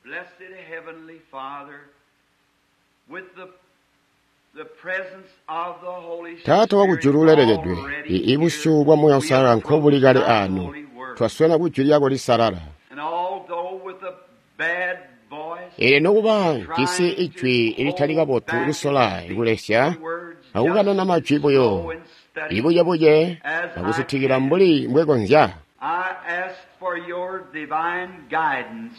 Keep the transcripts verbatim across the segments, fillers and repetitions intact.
Blessed Heavenly Father, with the the presence of the Holy Taata wakujulu ulelekedwe Spirit i ibusyu bwa Muuya Uusalala nkobuli kale ano twaswena ku jwi lyako lisalala and although with a bad voice, eelyo nokuba jisi ijwi litali kabotu lisola kulesya akukanana majwi buyo ibuyebuye akusitikila mbuli mbwekonzya I ask for your divine guidance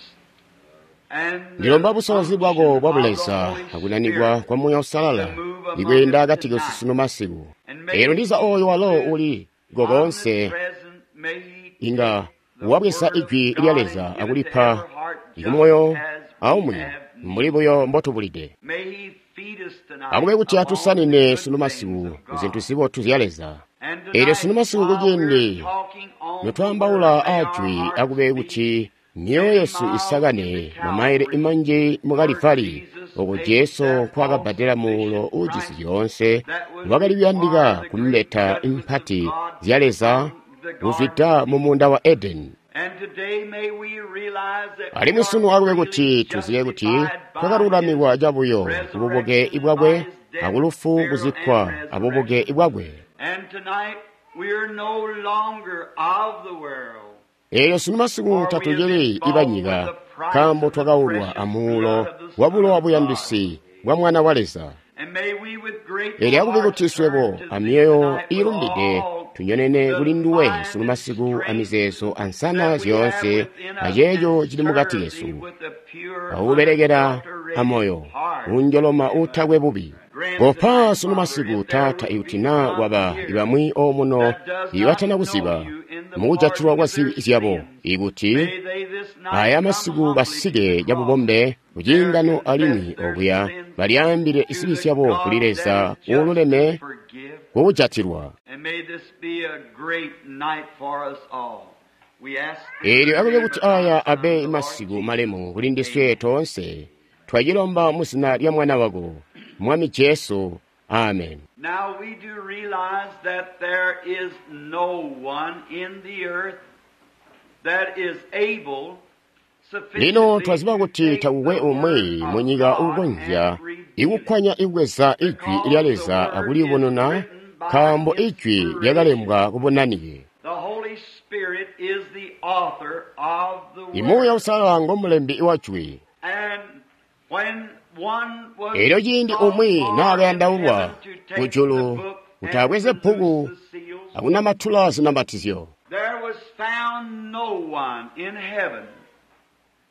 and the ndilomba busolozi bwako unction bwa of the buleza Holy akunanikwa Spirit kwa Muuya Uusalala ikweenda akati kesu sunu masiku eelyo ndiza oyo walo uli kokonse omnipresent, may he inga take the wabweza word of ijwi God lya and Leza give it to akulipa every heart just ikumoyo as we aumwi have need. mbuli buyo mbotubulide May he feed us tonight akube kuti upon the atusanine good sunu things masiku of ku zintu God. zibotu zya Leza And eelyo tonight, sunu masiku while we're kuciindi talking on the notwaambaula word, may our ajwi hearts akube be kuti myoyo yesu isakane mamaile imanji mu Kalivali oko Jesu nkwakabbadela muulo uujisi zyoonse wakali kuyandika kumbeta impati zya Leza kuzwida mu muunda wa Edeni And today may we realize that we alimwi are sunu akube kuti freely tuzibe kuti justified by twakalulamikwa his cabuyo kububuke resurrection, by bwakwe his death, akulufu burial, kuzikkwa and abubuke resurrection. bwakwe And tonight we are no longer of the world. eelyo sunu masiku For we have tatucili been bought with ibanyika the price nkaambo of the twakaulwa precious amuulo blood of the wa Son bulowa of God. buyandisi bwa Mwana wa Leza And may we with grateful eelyo akube hearts kuti swebo turn to thee amyoyo tonight with iilumbide all tunyonene the kuli nduwe mind sunu and masiku strength amizeezo ansana that we have zyoonse within us aceeco and cili mukati serve kesu thee with a pure, akubelekela unadulterated amoyo heart. unjoloma uutakwe bubi Grant kopa tonight, sunu Father, masiku if there taata would ikuti be naa some kwaba here ibamwi omuno that does not ibatana know kuziba you in the mukujatilwa pardon kwa of their zibi zyabo sins, ikuti may they this night aya come masiku humbly to basike the cross, cabubombe there kuciingano confess alimwi their okuya sins balyaambile to zibi the zyabo kuli God that Leza is just to uululeme forgive. kukujatilwa And may this be a great night for us all. We ask this eelyo in the akube name kuti of thy aya Son, abe the Lord masiku Jesus. malemu kuli ndiswe Amen. toonse twacilomba mu zina lya Mwana wako Mwami Jesu amen Now we do realize that there is no one in the earth that is able lino sufficiently twaziba to kuti take takukwe the umwi word of munyika God uukonzya and reveal it. ikukwanya ikubweza ijwi lya Because the Leza word is akuliyubununa written by nkaambo ijwi inspiration. lyakalembwa kubunanike The Holy Spirit is the author of the imuuya word. Uusalala ngomulembi wa jwi And when one was eelyo ciindi sought umwi for in naakayandaulwa heaven to take the kujulu book kuti and abweze to loose bbuku the seals, akunamatula zinamatizyo there was found no one in heaven,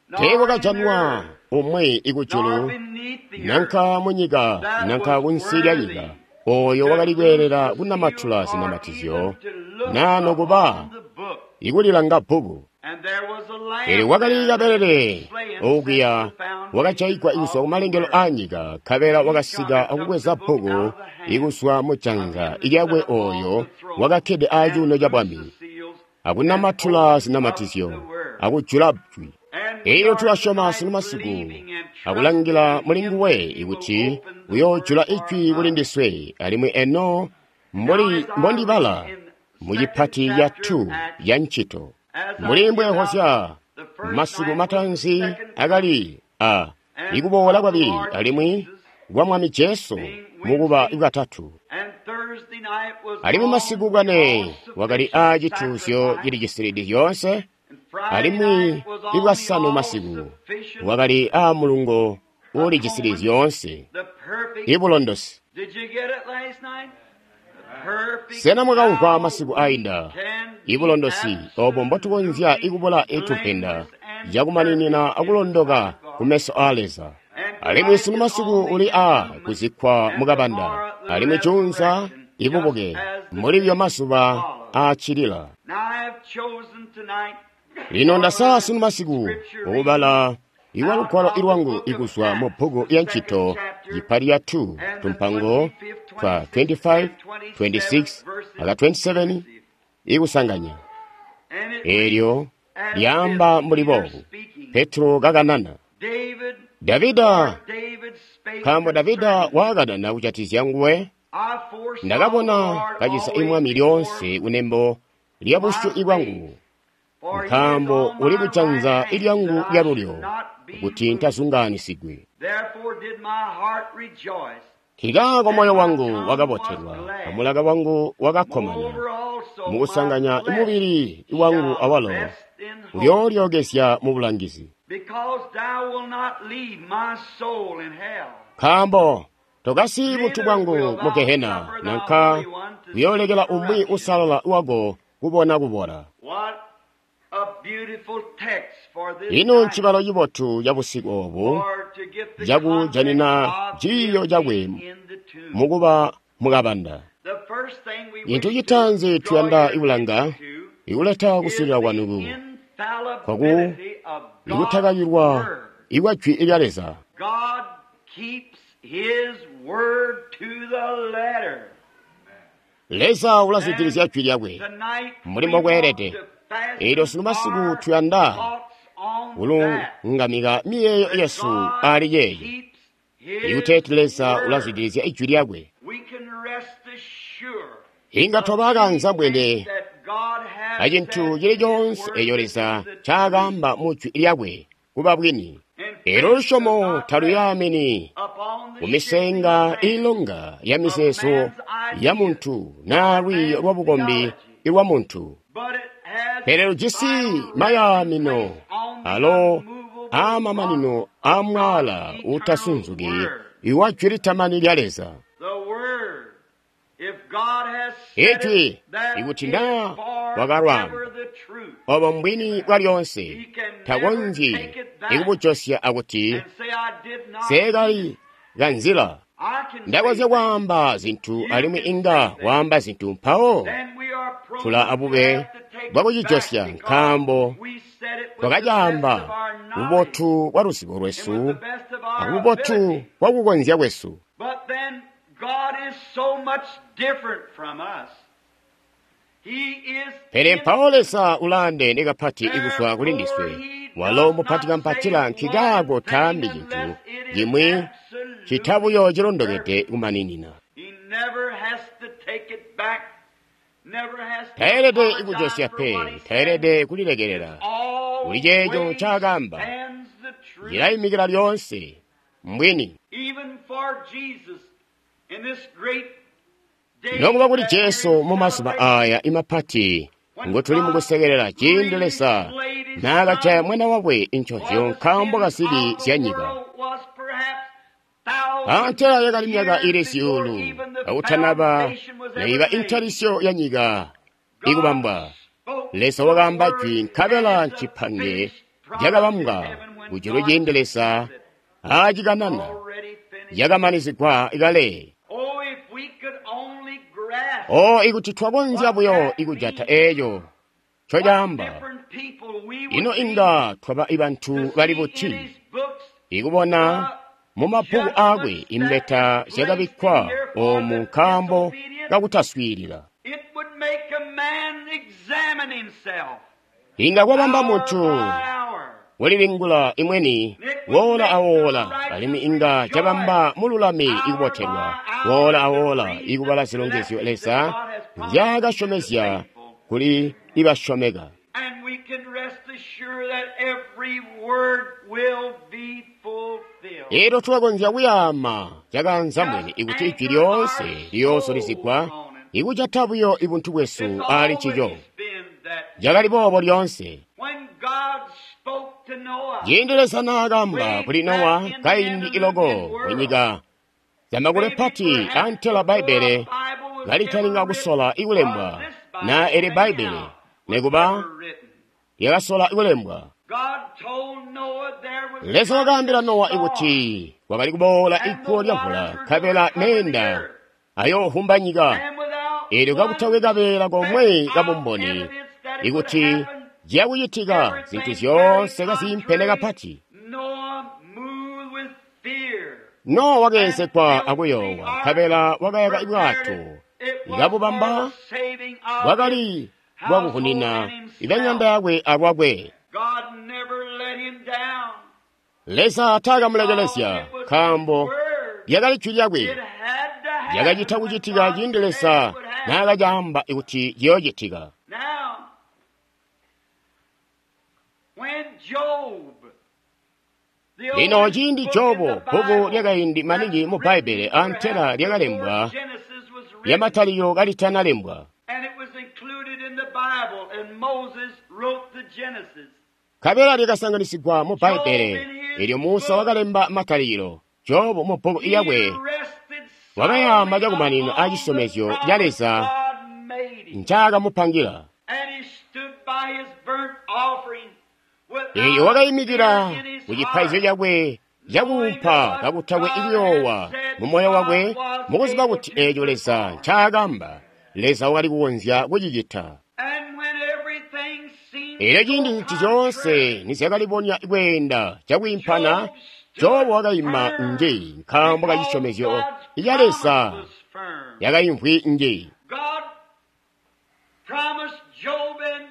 nor in teekwakajanwa earth, umwi nor ikujulu beneath the earth, nanka munyika that nanka was kunsi lya nyika worthy oyo to wakali loose kweelela the kunamatula seals or zinamatizyo even to look naa nokuba upon the book. ikulilanga bbuku And there was a eelyo lamb kwakali there that had kabelele been slain since okuya the foundation wakajayigwa ikuzwa of the kumalengelo world. a nyika nkabela And he come wakasika and took the akubweza book out bbuku of the hand ikuzwa mu of janza him that lyakwe sat upon oyo the throne wakakkede aacuuno and ca loosed the bwami seals and akunamatula opened up zinamatizyo the word. akujula jwi And we eelyo are tulasyoma tonight sunu masiku believing and akulangila trusting muli in him nguwe that he will ikuti open the word uyoojula for ijwi kuli us. ndiswe alimwi eno Now, mbuli as I mbondibala read in mu second chipati ya chapter of two Acts, ya ntchito as I mbuli give out mbwehozya the first masiku night was the matanzi second coming akali a and ikuboola of the kwabili Lord alimwi Jesus, kwa Mwami Jesu being mukuba Wednesday, katatu and Thursday night was alimwi on masiku the bwane wakali a all-sufficient cituuzyo sacrifice, cili cisilidi zyoonse and Friday alimwi night was on the ibwasanu masiku all-sufficient wakali a mulungo uli cisili atonement, zyoonse the perfect. ibulondosi Did you get it last night? The perfect sena mwakamva how masiku we ainda can be ibulondosi obo mbotukonzya absolutely ikubula itupenda blameless and cakumaninina perfect in the akulondoka sight of God. kumeso a Leza And alimwi tonight sunu is masiku on the uli a entombment kuzikkwa and mukabanda tomorrow the alimwi juunza resurrection, just ibubuke as the mulibyo days mazuba follow. aacilila Now I have chosen tonight lino for ndasala the sunu masiku scripture reading ukubala iwa out lugwalo of the ilwangu book of ikuzwa mu Acts, bbuku the ya second ntchito chapter, yipali ya two and the tumpango twenty-fifth, twa twenty-sixth, twenty-five and twenty-seventh twenty-six verses aka twenty-seven inclusive. ikusanganya And it reads eelyo as this, lyaamba mbuli Peter boobu speaking, Petro kakanana David, Davida for David spake nkaambo Davida concerning him. waakanana kucatizya nguwe I foresaw the ndakabona Lord kacisa always imwami before lyoonse kunembo lya my busyu ibwangu face, for he is nkaambo on uli my kujanza right hand, ilyangu that I lya should lulyo not be kuti ntazungaanisigwi. Nkikaako moyo wangu wakabotelwa, amulaka wangu wakakkomana. Mukusanganya mubili wangu awalo uyoolyokezya mu bulangizi. Nkaambo tokasiyi buntu bwangu mu gehena, nanka kuyoolekela umwi usalala wako kubona kubola. Ino ncibalo cibotu cabusiku oobu cakujanina ciiyo cakwe mukuba mukabanda. Cintu citaanzi tuyanda ikulanga ikuleta kuswiilila kwanu kwaku ikutakakilwa ikwa jwi lya Leza. Leza ulazwidilizya jwi lyakwe mbuli mbokweelede. Eelyo sunu masiku tuyanda kulungamika miyeeyo yesu ali yeeyo ikuteeti Leza ulazwidilizya ijwi lyakwe. Inga twaba bwene acintu cili coonse eeco Leza ncaakaamba mu jwi lyakwe kuba bwini. Eelyo lusyomo taluyaamini kumisenga iilonga ya mizeezo ya muntu naa lwiiyo lwa bukombi lwa muntu, pele lujisi mayaamino alo aamamanino aamwaala uutasunzuki iwa jwi litamani lya Leza. Ijwi ikuti naa wakalwaamba, obo mbwini bwa lyoonse, takonzyi ikubujosya akuti seekali kanzila. Ndakonzya kwaamba zintu alimwi inga waamba zintu mpawo tula abube bwakucijosya nkaambo twakacaamba bubotu bwa luzibo lwesu abubotu bwakukonzya kwesu. Pele mpawo Leza ulaandeene kapati kuzwa kuli ndiswe. Walo mupati kampatila nkikaako taambi cintu cimwi cita buyo cilondokede kumaninina. Taelede kujosya pe, taelede kulilekelela. Kuli ceeco ncaakaamba cilayimikila lyoonse mbwini. Nokuba kuti Jesu mu mazuba aaya imapati ngotuli mukusekelela ciindi Leza naakajaya mwana wakwe incozyo nkaambo kazibi zya nyika. Antela yakali myaka ili zyuulu akutanaba naiba intalisyo ya nyika ikubambwa. Leza wakaamba jwi nkabela ncipange cakabambwa kujulu ciindi Leza aacikanana yakamanizigwa kale. O ikuti twakonzya buyo ikujata eeco ncocaamba, ino inga twaba bantu bali buti ikubona mu mabbuku aakwe imbeta zyakabikkwa oomu nkaambo kakutaswiilila. Inga kwabamba muntu kulilingula imweni woola awoola, alimwi inga cabamba mululami ikubotelwa woola awoola ikubala zilongezyo Leza nzyaakasyomezya kuli ibasyomeka. Eelyo tulakonzya kuyaama cakanzambwene ikuti ijwi lyoonse liyoozulizigwa ikujata buyo ibuntu bwesu ali ncico. Cakali boobo lyoonse. Ciindi Leza naakaamba kuli Nowa kaindi iloko kunyika zamakule pati antela Bbaibbele kalitalinga kusola ikulembwa na eli Bbaibbele nekuba lyakasola ikulembwa. Leza wakaambila Nowa ikuti kwakali kuboola iguwo lyamvula nkabela meenda ayoohumba nyika, eelyo kakutakwe kabeela komwe kabumboni ikuti ciyakucitika zintu zyoonse kaziimpene kapati. Nowa wakeenzegwa akuyoowa nkabela wakayaka bwato ikabubamba bwakali bwakuhunina ibanyanda yakwe alwakwe. Leza taakamulekelezya nkaambo lyakali jwi lyakwe lyakacita kucitika ciindi Leza naakacaamba kuti ciyoocitika. Lino ciindi Jobu, bbuku lyakaindi maningi mu Bbaibbele antela lyakalembwa lyamatalikilo kalitanalembwa. Nkabela lyakasanganisigwa mu Bbaibbele, elyo Musa wakalemba matalikilo. Jobu mu bbuku lyakwe wakayaama cakumanina a cisyomezyo ca Leza ncaakamupangira. Elyo wakaimikila ku cipaizyo cakwe cakuumpa kakutakwe kuyoowa mu moyo wakwe, mukuziba kuti eeco Leza ncaakamba, Leza wakali kukonzya kucicita. Elyo ciindi zintu zyoonse nizyakalibonya kweenda cakwiimpana, Jobu wakaima nji nkaambo ka cisyomezyo ca Leza yakaimvwi nji.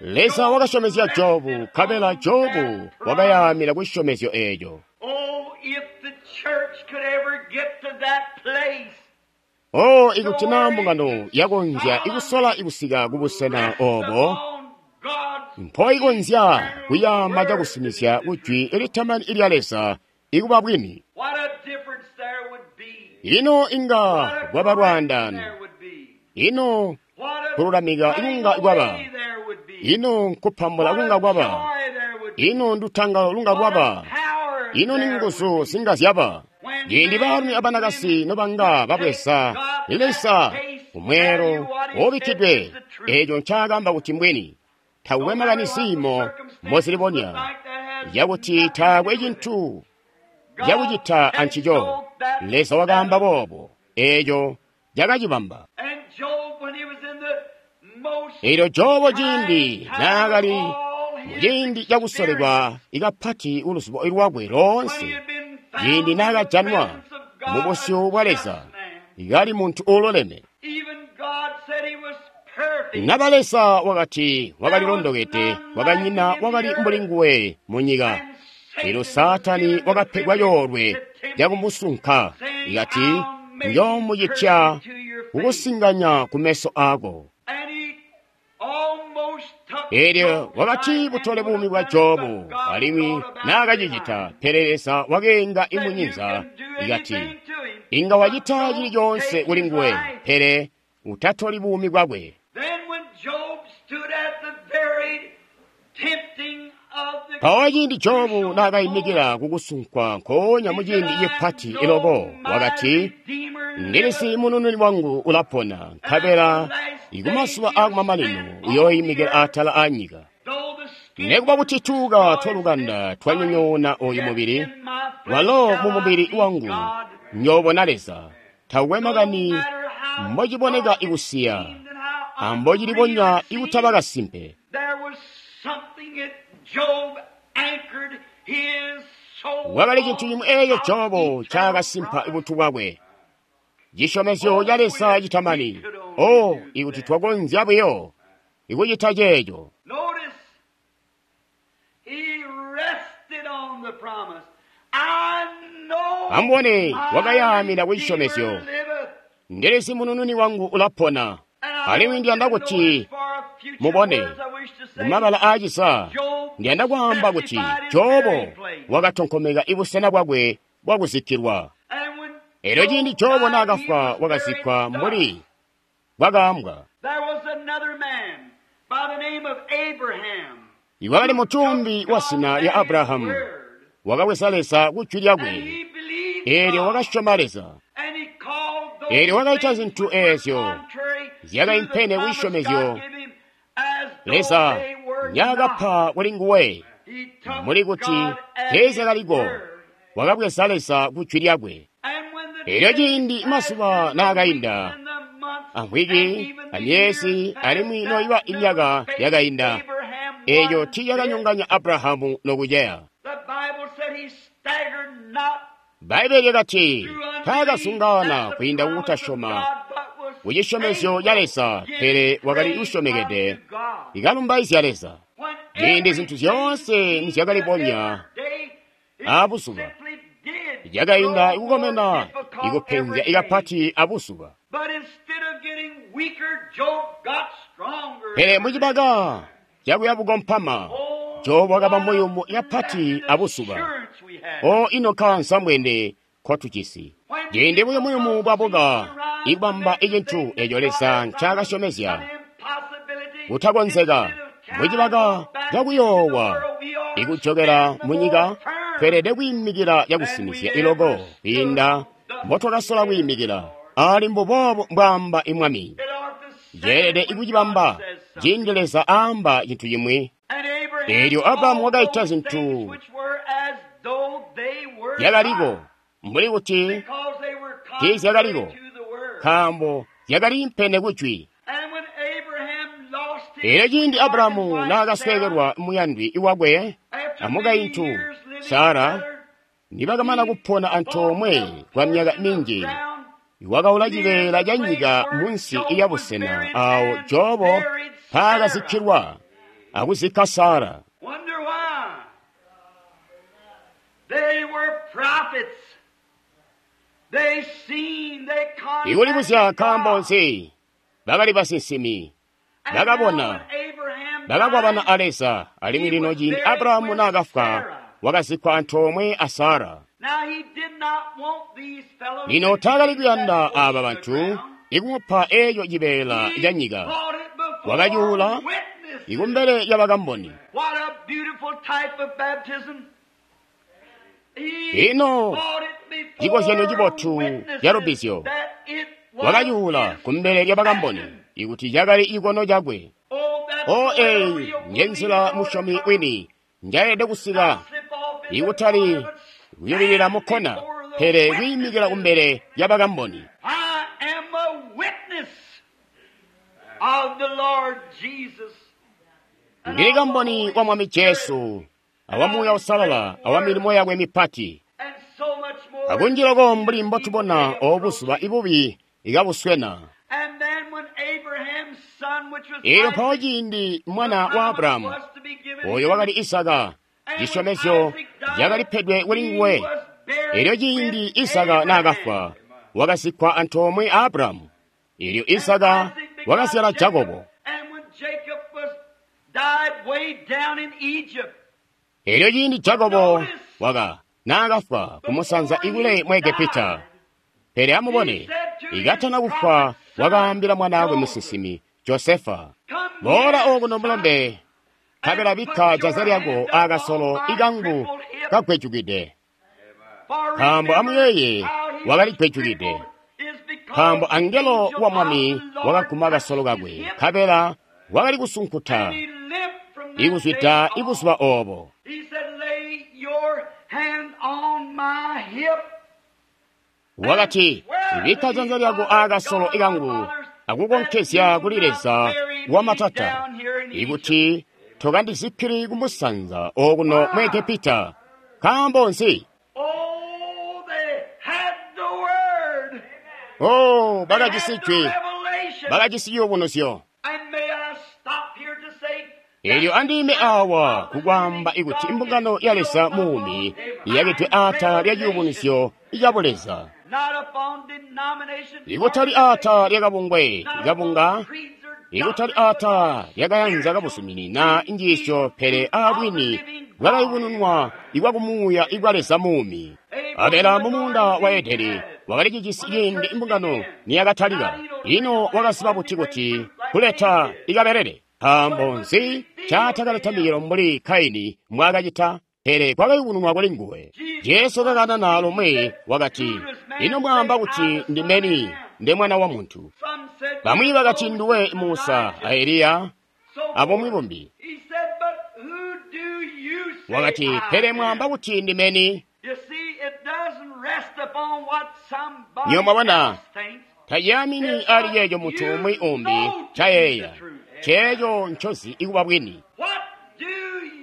Leza wakasyomezya Jobu, nkabela Jobu wakayaamina ku cisyomezyo eeco. Oh, ikuti naa mbungano yakonzya ikusola ikusika kubusena oobo, mpoikonzya kuyaama cakusinizya ku jwi litamani lya Leza ikuba bwini. Ino inga kwaba lwaandaano. Ino kululamika kunga kwaba. Ino nkupambula kunga kwaba. Ino ndutangalo lunga kwaba. Ino ni nguzu zinga zyaba. Ciindi baalumi abanakasi nobanga babweza Leza kumweelo wobikkidwe, eeco ncaakamba kuti mbwini. Takukwe makani ziimo mozilibonya, yakuti taakwe cintu cakucita ancico. Leza wakaamba boobo, eeco cakacibamba. Elyo Jobu ciindi naakali muciindi cakusolekwa ikapati kuluzubo lwakwe loonse, ciindi naakajanwa mubusyu bwa Leza, kali muntu uululeme. Naba Leza wakati wakalilondokede, wakanyina wakali mbuli nguwe munyika. Elyo Saatani wakapegwa coolwe cakumusunka, ikati, njoomucitya kukusinganya kumeso aako. Elyo wakati butole buumi bwa Jobu, alimwi naakacicita, pele Leza wakeenga imunyinza, ikati, inga wacita cili coonse kuli nguwe, pele utatoli buumi bwakwe. Mpawo ciindi Jobu naakaimikila kukusunkwa nkoonya muciindi cipati iloko, wakati, ndilisi munununi wangu ulapona, nkabela ikumazuba aakumamanino uyooimikila atala aanyika. Nekuba kuti tuuka twalukanda twanyonyoona oyu mubili, walo mu mubili wangu nyoobona Leza. Takukwe makani mbociboneka ikusiya, ambocilibonya ikutaba kasimpe. Wakali cintu cimwi eeco Jobu ncaakasimpa buntu bwakwe, cisyomezyo ca Leza citamani. Oh, ikuti twakonzya buyo ikucita ceeco. Amubone, wakayaamina ku cisyomezyo. Ndilisi munununi wangu ulapona. Alimwi ndiyanda kuti mubone mumabala aacisa, ndiyanda kwaamba kuti Jobu wakatonkomeka ibusena bwakwe bwakuzikkilwa. Elyo ciindi Jobu naakafwa wakazikkwa mbuli bwakaambwa. Iwakali mutumbi wa zina lya Abrahamu, wakabweza Leza ku jwi lyakwe, eelyo wakasyoma Leza. Eelyo wakaita zintu eezyo zyakaimpene ku cisyomezyo Leza nyaakapa kuli nguwe, muli kuti teezyakaliko, wakabweza Leza ku jwi lyakwe. Elyo ciindi mazuba naakainda, amvwiki, amyezi, alimwi noiba imyaka yakainda, eeco tiicakanyonganya Abrahamu nokuceya. Bbaibbele lyakati taakazungaana kwiinda kukutasyoma kucisyomezyo ca Leza, pele wakali usyomekede ikalumbaizya Leza. Ciindi zintu zyoonse nizyakalibonya abuzuba, lyakainda ikukomena ikupenzya ikapati abuzuba. Pele mucibaka cakuya bukompama, Jobu wakaba muyumu kapati abuzuba. O ino nkaanzambwene nkotujisi. Ciindi buyumuyumu bwabuka ikubamba icintu eco Leza ncaakasyomezya kutakonzeka mucibaka cakuyoowa ikujokela munyika, tweelede kwiimikila cakusinizya iloko kwiinda mbotwakasola kwiimikila. Ali mbuboobo mbwaamba imwami. Yeelede ikucibamba ciindi Leza aamba cintu cimwi. Eelyo Abrahamu wakaita zintu zyakaliko mbuli kuti tiizyakaliko, nkaambo zyakaliimpene kujwi. Eelyo ciindi Abrahamu naakasweekelwa muyandwi wakwe amukaintu Sara, nibakamana kupona antoomwe kwa myaka minji, wakaula cibeela ca nyika munsi ya busena aawo Jobo mpaakazikkilwa akuzikka Sara. Wonder why. They were prophets. They seen, they Ikulibuzya contacted nkaambo God. nzi bakali basinsimi, And bakabona, now when Abraham bakakwabana died, a Leza, alimwi lino ciindi Abrahamu naakafwa wakazikkwa antoomwe a Sara. Now he did not want these fellows Lino to taakali take kuyanda that aaba portion of bantu ground. ikumupa eeco cibeela He ca nyika, bought it before wakacuula witnesses. ikumbele ya bakamboni. What a beautiful type of baptism. He Ino bought it before cikozyanyo cibotu witnesses ca lubbizyo. that it was Wakacuula his kumbele lya bakamboni ikuti cakali ikono cakwe. Oh, that's O the way a eyi real njenzila believer musyomi ought to wini njayelede kusika, not slip off in the ikutali corner, but kuyubilila stand mukkona, before the pele witnesses. kwiimikila kumbele lya bakamboni. I am a witness of the Lord Jesus. And Ndili of the kamboni Holy wa Mwami Spirit, Jesu, awa Muuya Usalala, awa milimo yakwe mipati. and so much more. Akunjilako mbuli mbotubona obuzuba ibubi ikabuswena. And then when Abraham's son, which was Eelyo mpawo Isaac, ciindi the mwana wa promise Abrahamu was to be given oyo him, wakali Isaka, and when cisyomezyo Isaac died, cakalipedwe kuli he nguwe. was buried Eelyo ciindi with Isaka Abraham. naakafwa, wakazikkwa antoomwe a Abrahamu. Eelyo And Isaka Isaac begot wakazyala Jacob, Jakobo. And when Jacob was died way down in Egypt, Eelyo ciindi Jakobo waka naakafwa kumusanza ikule mu Egepita. Pele amubone, ikatana kufwa wakaambila mwanaakwe musinsimi Josefa, come boola here, okuno son, mulombe, nkabela bikka janza lyako akasolo ikangu kagwejukide. for Nkaambo remember amuyeeye how he wakali was gwejukide. crippled is because Nkaambo the angelo angel wa of Mwami the Lord wakaguma kasolo touched kakwe, his hip, nkabela wakali kusunkuta and he limped from that day ikuzwida on. ibuzuba oobo. He said, lay your hand on my hip. Wakati, bikka janza lyako akasolo ikangu akukonkezya kuli Leza wamatata, ikuti tokandizikkili kumusanza okuno mu Egepita. Nkaambo nzi? Oh, they had the word. Oh, They had bakajisi the jwi, revelation. bakajisi ciyubunuzyo. And may I stop here to say Eelyo andime awa kukwamba ikuti imbungano ya Leza muumi iyakidwe aatala lya ciyubunuzyo ca Buleza, not upon denomination, ikutali aatala lya kabungwe not kabunga, upon creeds or ikutali doctrines, aatala lyakayanza kabuzumini na injiisyo, pele aabwini bwakayubununwa ikwakumuuya ikwa Leza muumi. Abela mumuunda wa Edeni wakali cijisi ciindi imbungano niyakatalika. Ino wakaziba buti kuti kuleta ikabelele? Nkaambo nzi caatakaleta micelo mbuli Kaini mbwaakacita? Pele kwakayubununwa kuli nguwe. Jesu kakanana lomwe wakati, ino mwaamba kuti ndimeni nde mwana wa muntu? Some said, Bamwi bakati nduwe Musa a Eliya so abomwe bumbi. He said, but who do you say Wakati, I pele am?" mwaamba kuti ndimeni? You see, it doesn't rest upon what somebody Niyo mwabona, else thinks. tayamini ali yeeyo munthu umwi umbi chayeeya cheecho nchozi ikuba bwini. What do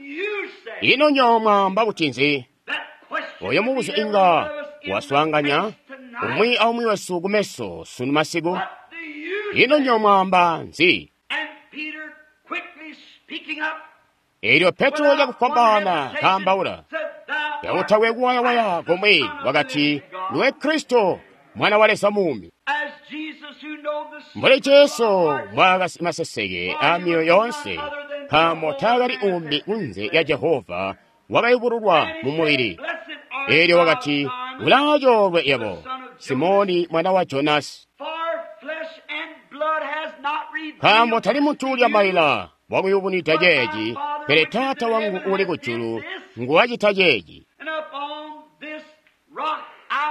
you say? Ino nyo mwamba kuti nzi? That question Oyo would mubuzyo be every inga one of us in the waswaanganya face tonight. umwi aumwi wesu kumeso sunu masiku. What do you Ino say? nyo mwamba nzi? And Peter quickly speaking up, Eelyo Petro without one chakufwambaana hesitation, kaambaula said, Thou art yakutakwe kuwayawaya Christ, the komwe Son of the wakati living God. ndiwe Kristo mwana wa Leza muumi. As Jesus who know the Mbuli secrets of Jesu hearts, mwakasi maseseke a miyoyo yonse, nkaambo taakali umbi kunze ya Jehova wakayubululwa and mu he mubili. said, Blessed Eelyo wakati, ulaacoolwe yebo, Simoni mwana wa Jonasi, nkaambo tali muntu ulya maila wakuyubunwida ceeci, pele Taata wangu uli kujulu nguwacita ceeci.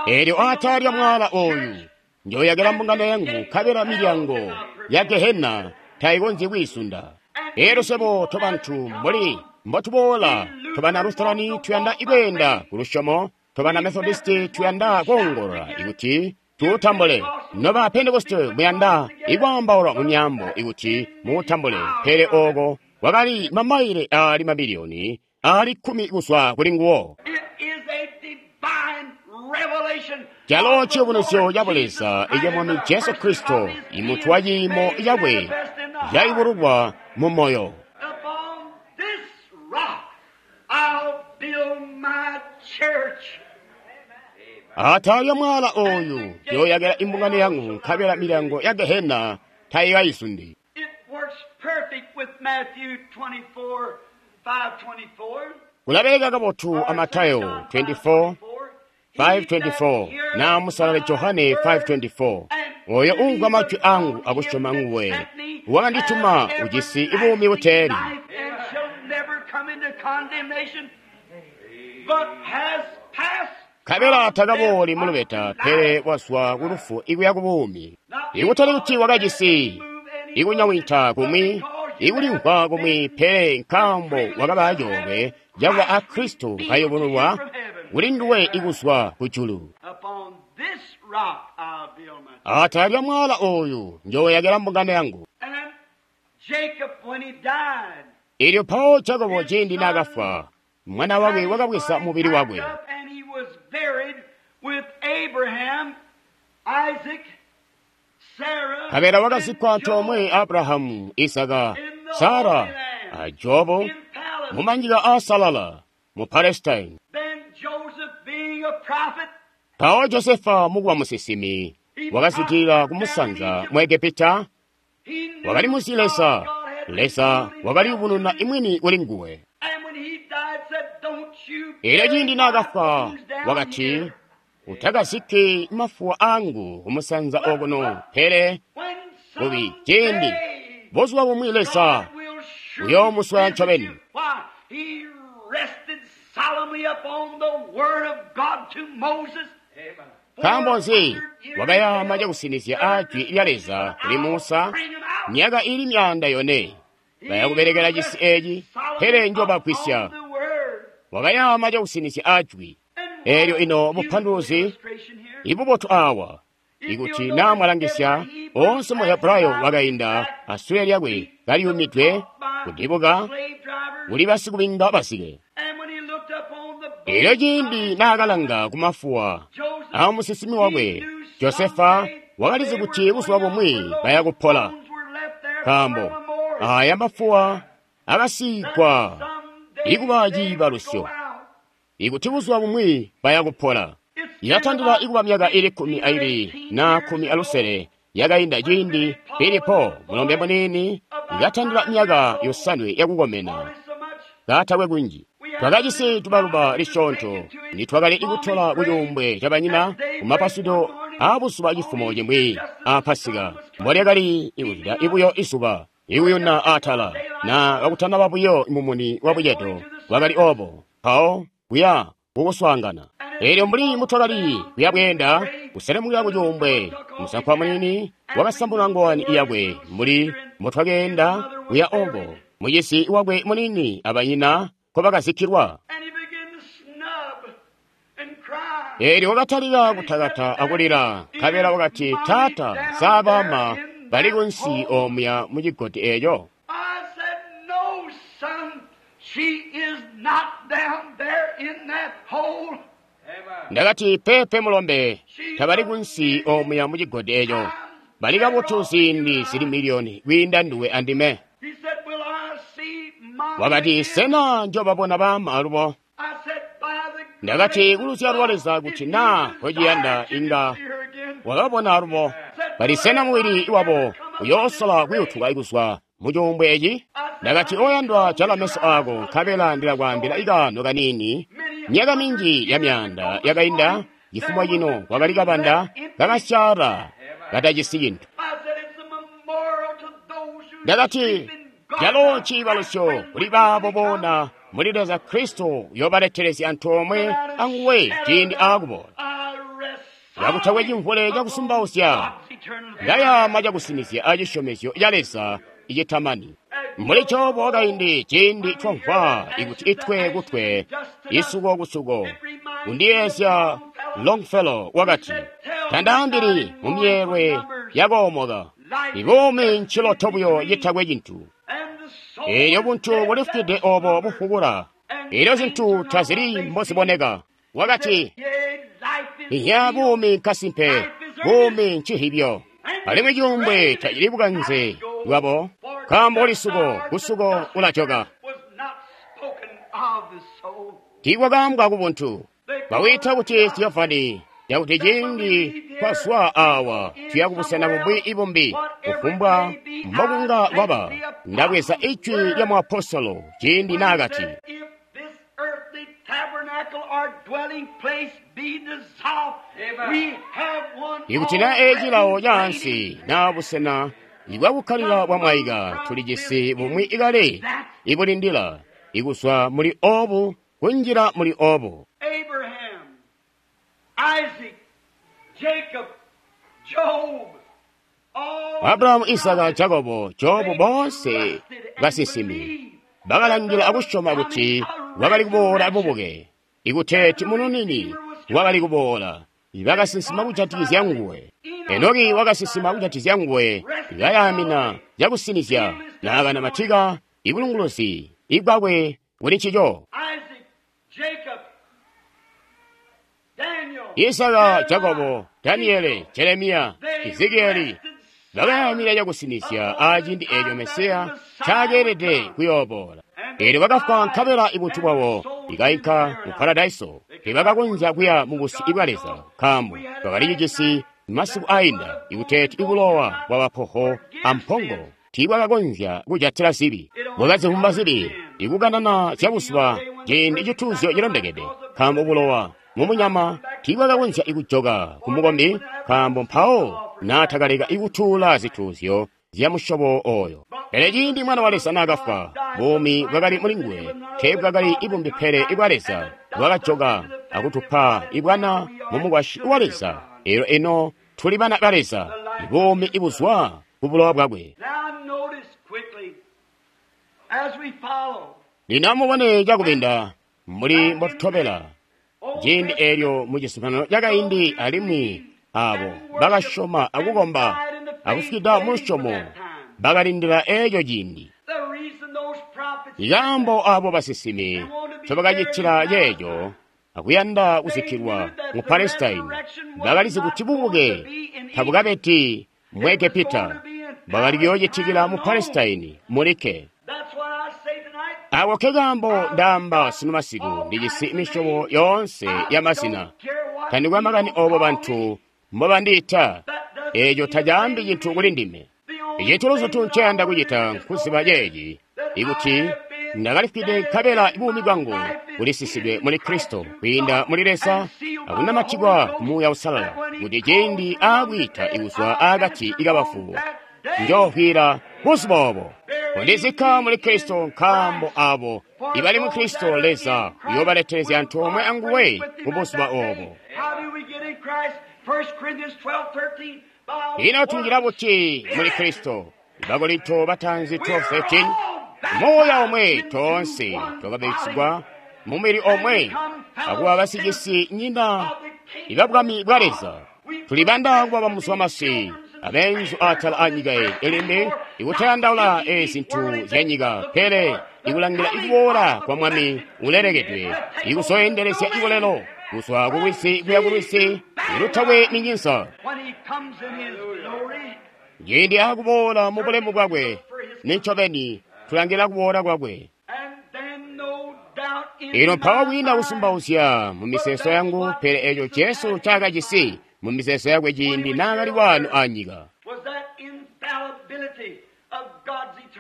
Eelyo aatala lya mwala ooyu njoyakila mbungano yangu, nkabela milyango ya Gehena tayikonzyi kwiisunda. Eelyo swebo tobantu mbuli mbotuboola, tobana Lutherani tuyanda ikweenda ku lusyomo, tobana Methodisti tuyanda koongolola ikuti tuutambule, noba Pentekoste muyanda ikwaambaula mu myaambo ikuti muutambule. Pele ooko kwakali mamaile aali mabiliyoni aali kkumi kuzwa kuli nguwo. Calo ciyubunuzyo ca Buleza ica Mwami Jesu Kristo, imuntu wa ciimo cakwe cayubululwa mu moyo. Atala lya mwala ooyu njoyakila imbungano yangu, nkabela milyango ya Gehena tayikayizundi. Kulabeleka kabotu a Matayo twenty-four, five twenty-four na musalale Johane five twenty-four. Oyo umvwa majwi angu akusyoma nguwe wakandituma ujisi buumi buteeli, nkabela takabooli mu lubeta, pele wazwa ku lufu ikuya ku buumi. Ikutali kuti wakajisi ikunyawinta kumwi, ikulimvwa kumwi, pele nkaambo wakaba coolwe cakuba a Kristo kayubululwa kuli nduwe ikuzwa kujulu. Atala lya mwala ooyu njoyakila mbungano yangu. Eelyo mpawo Jakobo ciindi naakafwa, mwana wakwe wakabweza mubili wakwe, nkabela wakazikkwa antoomwe Abrahamu, Isaka, Sara a Jobo mumanyika aasalala mu Palestine. Mpawo Josefa mukuba musinsimi wakazwidilila kumusanza mu Egepita, wakali muzi Leza. Leza wakaliyubununa imwini kuli nguwe. Eelyo ciindi naakafwa wakati, utakazikki mafuwa angu kumusanza okuno, pele kubi ciindi buzuba bumwi Leza uyoomuswaya ncobeni. Nkaambo nzi wakayaama cakusinizya ajwi lya Leza kuli Musa myaka ili myaanda yone bayakubelekela cisi eeci, pele njobagwisya. Wakayaama cakusinizya ajwi. Eelyo ino bupanduluzi ibubotu awa, ikuti naa mwalangisya, oonse mu Hebrayo wakainda asule lyakwe kaliyumidwe kudibuka kuli basikubinga basike. Eelyo ciindi naakalanga kumafuwa amusinsimi wakwe Josefa, wakalizi kuti buzuba bumwi bayakupola, nkaambo aya mafuwa akasiigwa ikuba ciibalusyo ikuti buzuba bumwi bayakupola. Ilatandila ikuba myaka ili kkumi aibili na kkumi alusele yakainda ciindi Filipo mulombe muniini ikatandila myaka yosanwe yakukomena katakwe kunji. Twakajisi tubaluba lisyoonto nitwakali ikutola kucuumbwe cabanyina kumapasudo aabuzuba cifumo cimwi a Pasika, mbolyakali ikuzwida ibuyo izuba ikuyuna atala na kakutanaba buyo mumuni wa bucedo bwakali obo mpawo kuya kukuswaangana. Eelyo mbuli mutwakali kuya bweenda kuselemukila kucuumbwe, musankwa muniini wakasambula ngowani yakwe mbuli mbutwakeenda kuya obo mucisi wakwe muniini abanyina nkobakazikkilwa. Eelyo wakatalika kutakata akulila, nkabela wakati, Taata, sa baama bali kunsi omuya mu cigodi eeco? Ndakati, peepe mulombe, tabali kunsi omuya mu cigodi eeco. Bali kabotu ziindi zili miliyoni kwiinda nduwe andime. Wakati, sena njobabona baama alubo? Ndakati, kuluzyalo lwa Leza kuti naa kociyanda inga wakabona alubo. Bali sena mubili wabo uyoosola kuyutuka kuzwa mu cuumbwe eci? Ndakati, oyandwa, jala meso ako, nkabela ndilakwaambila ikaano kaniini Myaka minji ya myaanda yakainda, cifumo cino kwakali kabanda kakasyaala katajisi cintu. Ndakati, calo ciibalusyo kuli baabo boona muli Leza Kristo uyobaletelezya antoomwe anguwe ciindi aakuboola. Kakutakwe cimvule cakusumbauzya, ndayaama cakusinizya acisyomezyo ca Leza icitamani. Mbuli Jobu wakaindi ciindi twamvwa ikuti itwe kutwe, isuko kusuko, kundiyeezya Longfellow wakati, tandaambili mumyeelwe yakoomoka, ibuumi nciloto buyo citakwe cintu. Eelyo buntu bulifwide obo bufukula, eelyo zintu tazili mboziboneka. Wakati, iya buumi nkasimpe, buumi ncihibyo, alimwi cuumbwe tacili bukanze bwabo, nkaambo lisuko kusuko ulajoka. Tiikwakaambwa kubuntu, bawiita kuti Theophany, yakuti ciindi twazwa awa tuya kubusena bumwi ibumbi, kufumbwa mbokunga kwaba. Ndabweza ijwi lya muapostolo ciindi naakati, ikuti na ecilawo caansi naa busena ibwakukkalila bwamwaika, tulijisi bumwi ikale ibulindila ikuzwa muli obu kunjila muli obu. Abrahamu, Isaka, Jakobo, Jobu boonse basinsimi bakalangila akusyoma kuti wakali kuboola bubuke, ikuteeti mununini wakali kuboola. Bakasinsima kujatikizya nguwe. Enoki wakasinsima kujatikizya nguwe, kayaamina cakusinizya naakanamatika ibulunguluzi ibwakwe kuli ncico. Isaka, Jakobo, Daniele, Jeremiya, Ezekieli bakayaamina cakusinizya aciindi eeco Mesiya caakeelede kuyooboola. Eelyo bakafwa nkabela ibuntu bwabo ikainka mu paradaiso. Teebakakonzya kuya mu busyu bwa Leza, nkaambo bakalicijisi masiku ainda ikuteeti ibulowa bwa bapoho ampongo tiibwakakonzya kujatila zibi. Bwakazivumba zibi ikukanana zyabuzuba ciindi cituuzyo cilondekede, nkaambo bulowa mumunyama tiibwakakonzya ikujoka kumukombi, nkaambo mpawo naatakaleka ikutuula zituuzyo zya musyobo oyo. Pele ciindi Mwana wa Leza naakafwa, buumi bwakali mulinguwe teebwakali ibumbi pele ibwa Leza bwakajoka akutupa ibwana mumukwasyi wa Leza. Eelyo ino tuli bana ba Leza, ibuumi ibuzwa ku bulowa bwakwe. Lino amubone cakubinda mbuli mbotutobela ciindi eelyo mu cizuminano cakaindi, alimwi aabo bakasyoma akukomba akufwida mulusyomo bakalindila eeco ciindi. Ikaambo aabo basinsimi ncobakacitila ceeco akuyanda kuzikkilwa mu Palestine, bakalizi kuti bubuke tabukabedi mu Egepita, bwakali kuyoocitikila mu Palestine mulikke. Ako kekaambo ndaamba sunu masiku, ndijisi misyobo yoonse ya mazina. Tandikwe makani oobo bantu mbobandiita, eeco tacaambi cintu kuli ndime. Icintu luzutu nceyanda kucita nkuziba ceeci, ikuti ndakalifwide nkabela buumi bwangu bulisisidwe muli Kristo kwiinda muli Leza akunamatikwa ku Muuya Uusalala, kuti ciindi aakwiita ikuzwa aakati kabafu njoofwila buzuba obo. Kundizikka muli Kristo, nkaambo abo ibali mu Kristo Leza uyoobaletelezya antoomwe anguwe ku buzuba obo. Ino tunjila buti muli Kristo? Bakorinto batanzi twelve thirteen, Muuya omwe toonse twakabatizigwa mumubili omwe akuba basicisi nyina ibabwami bwa Leza. Tulibanda kuba bamuzwamasi abenzu atala anyika eyi ilimbi ikutayandaula ezintu zya nyika, pele ikulangila ikuboola kwa Mwami ulelekedwe, ikuzoyendelezya ikulelo kuzwa kulwisi kuya kulwisi ilutakwe minyinza. Ciindi akuboola mu bulemu bwakwe, nincobeni tulangila kuboola kwakwe. Ino mpawo kwiina kusumbauzya mu miseeso yangu, pele eeco Jesu ncaakajisi mu miseeso yakwe ciindi naakali waano anyika.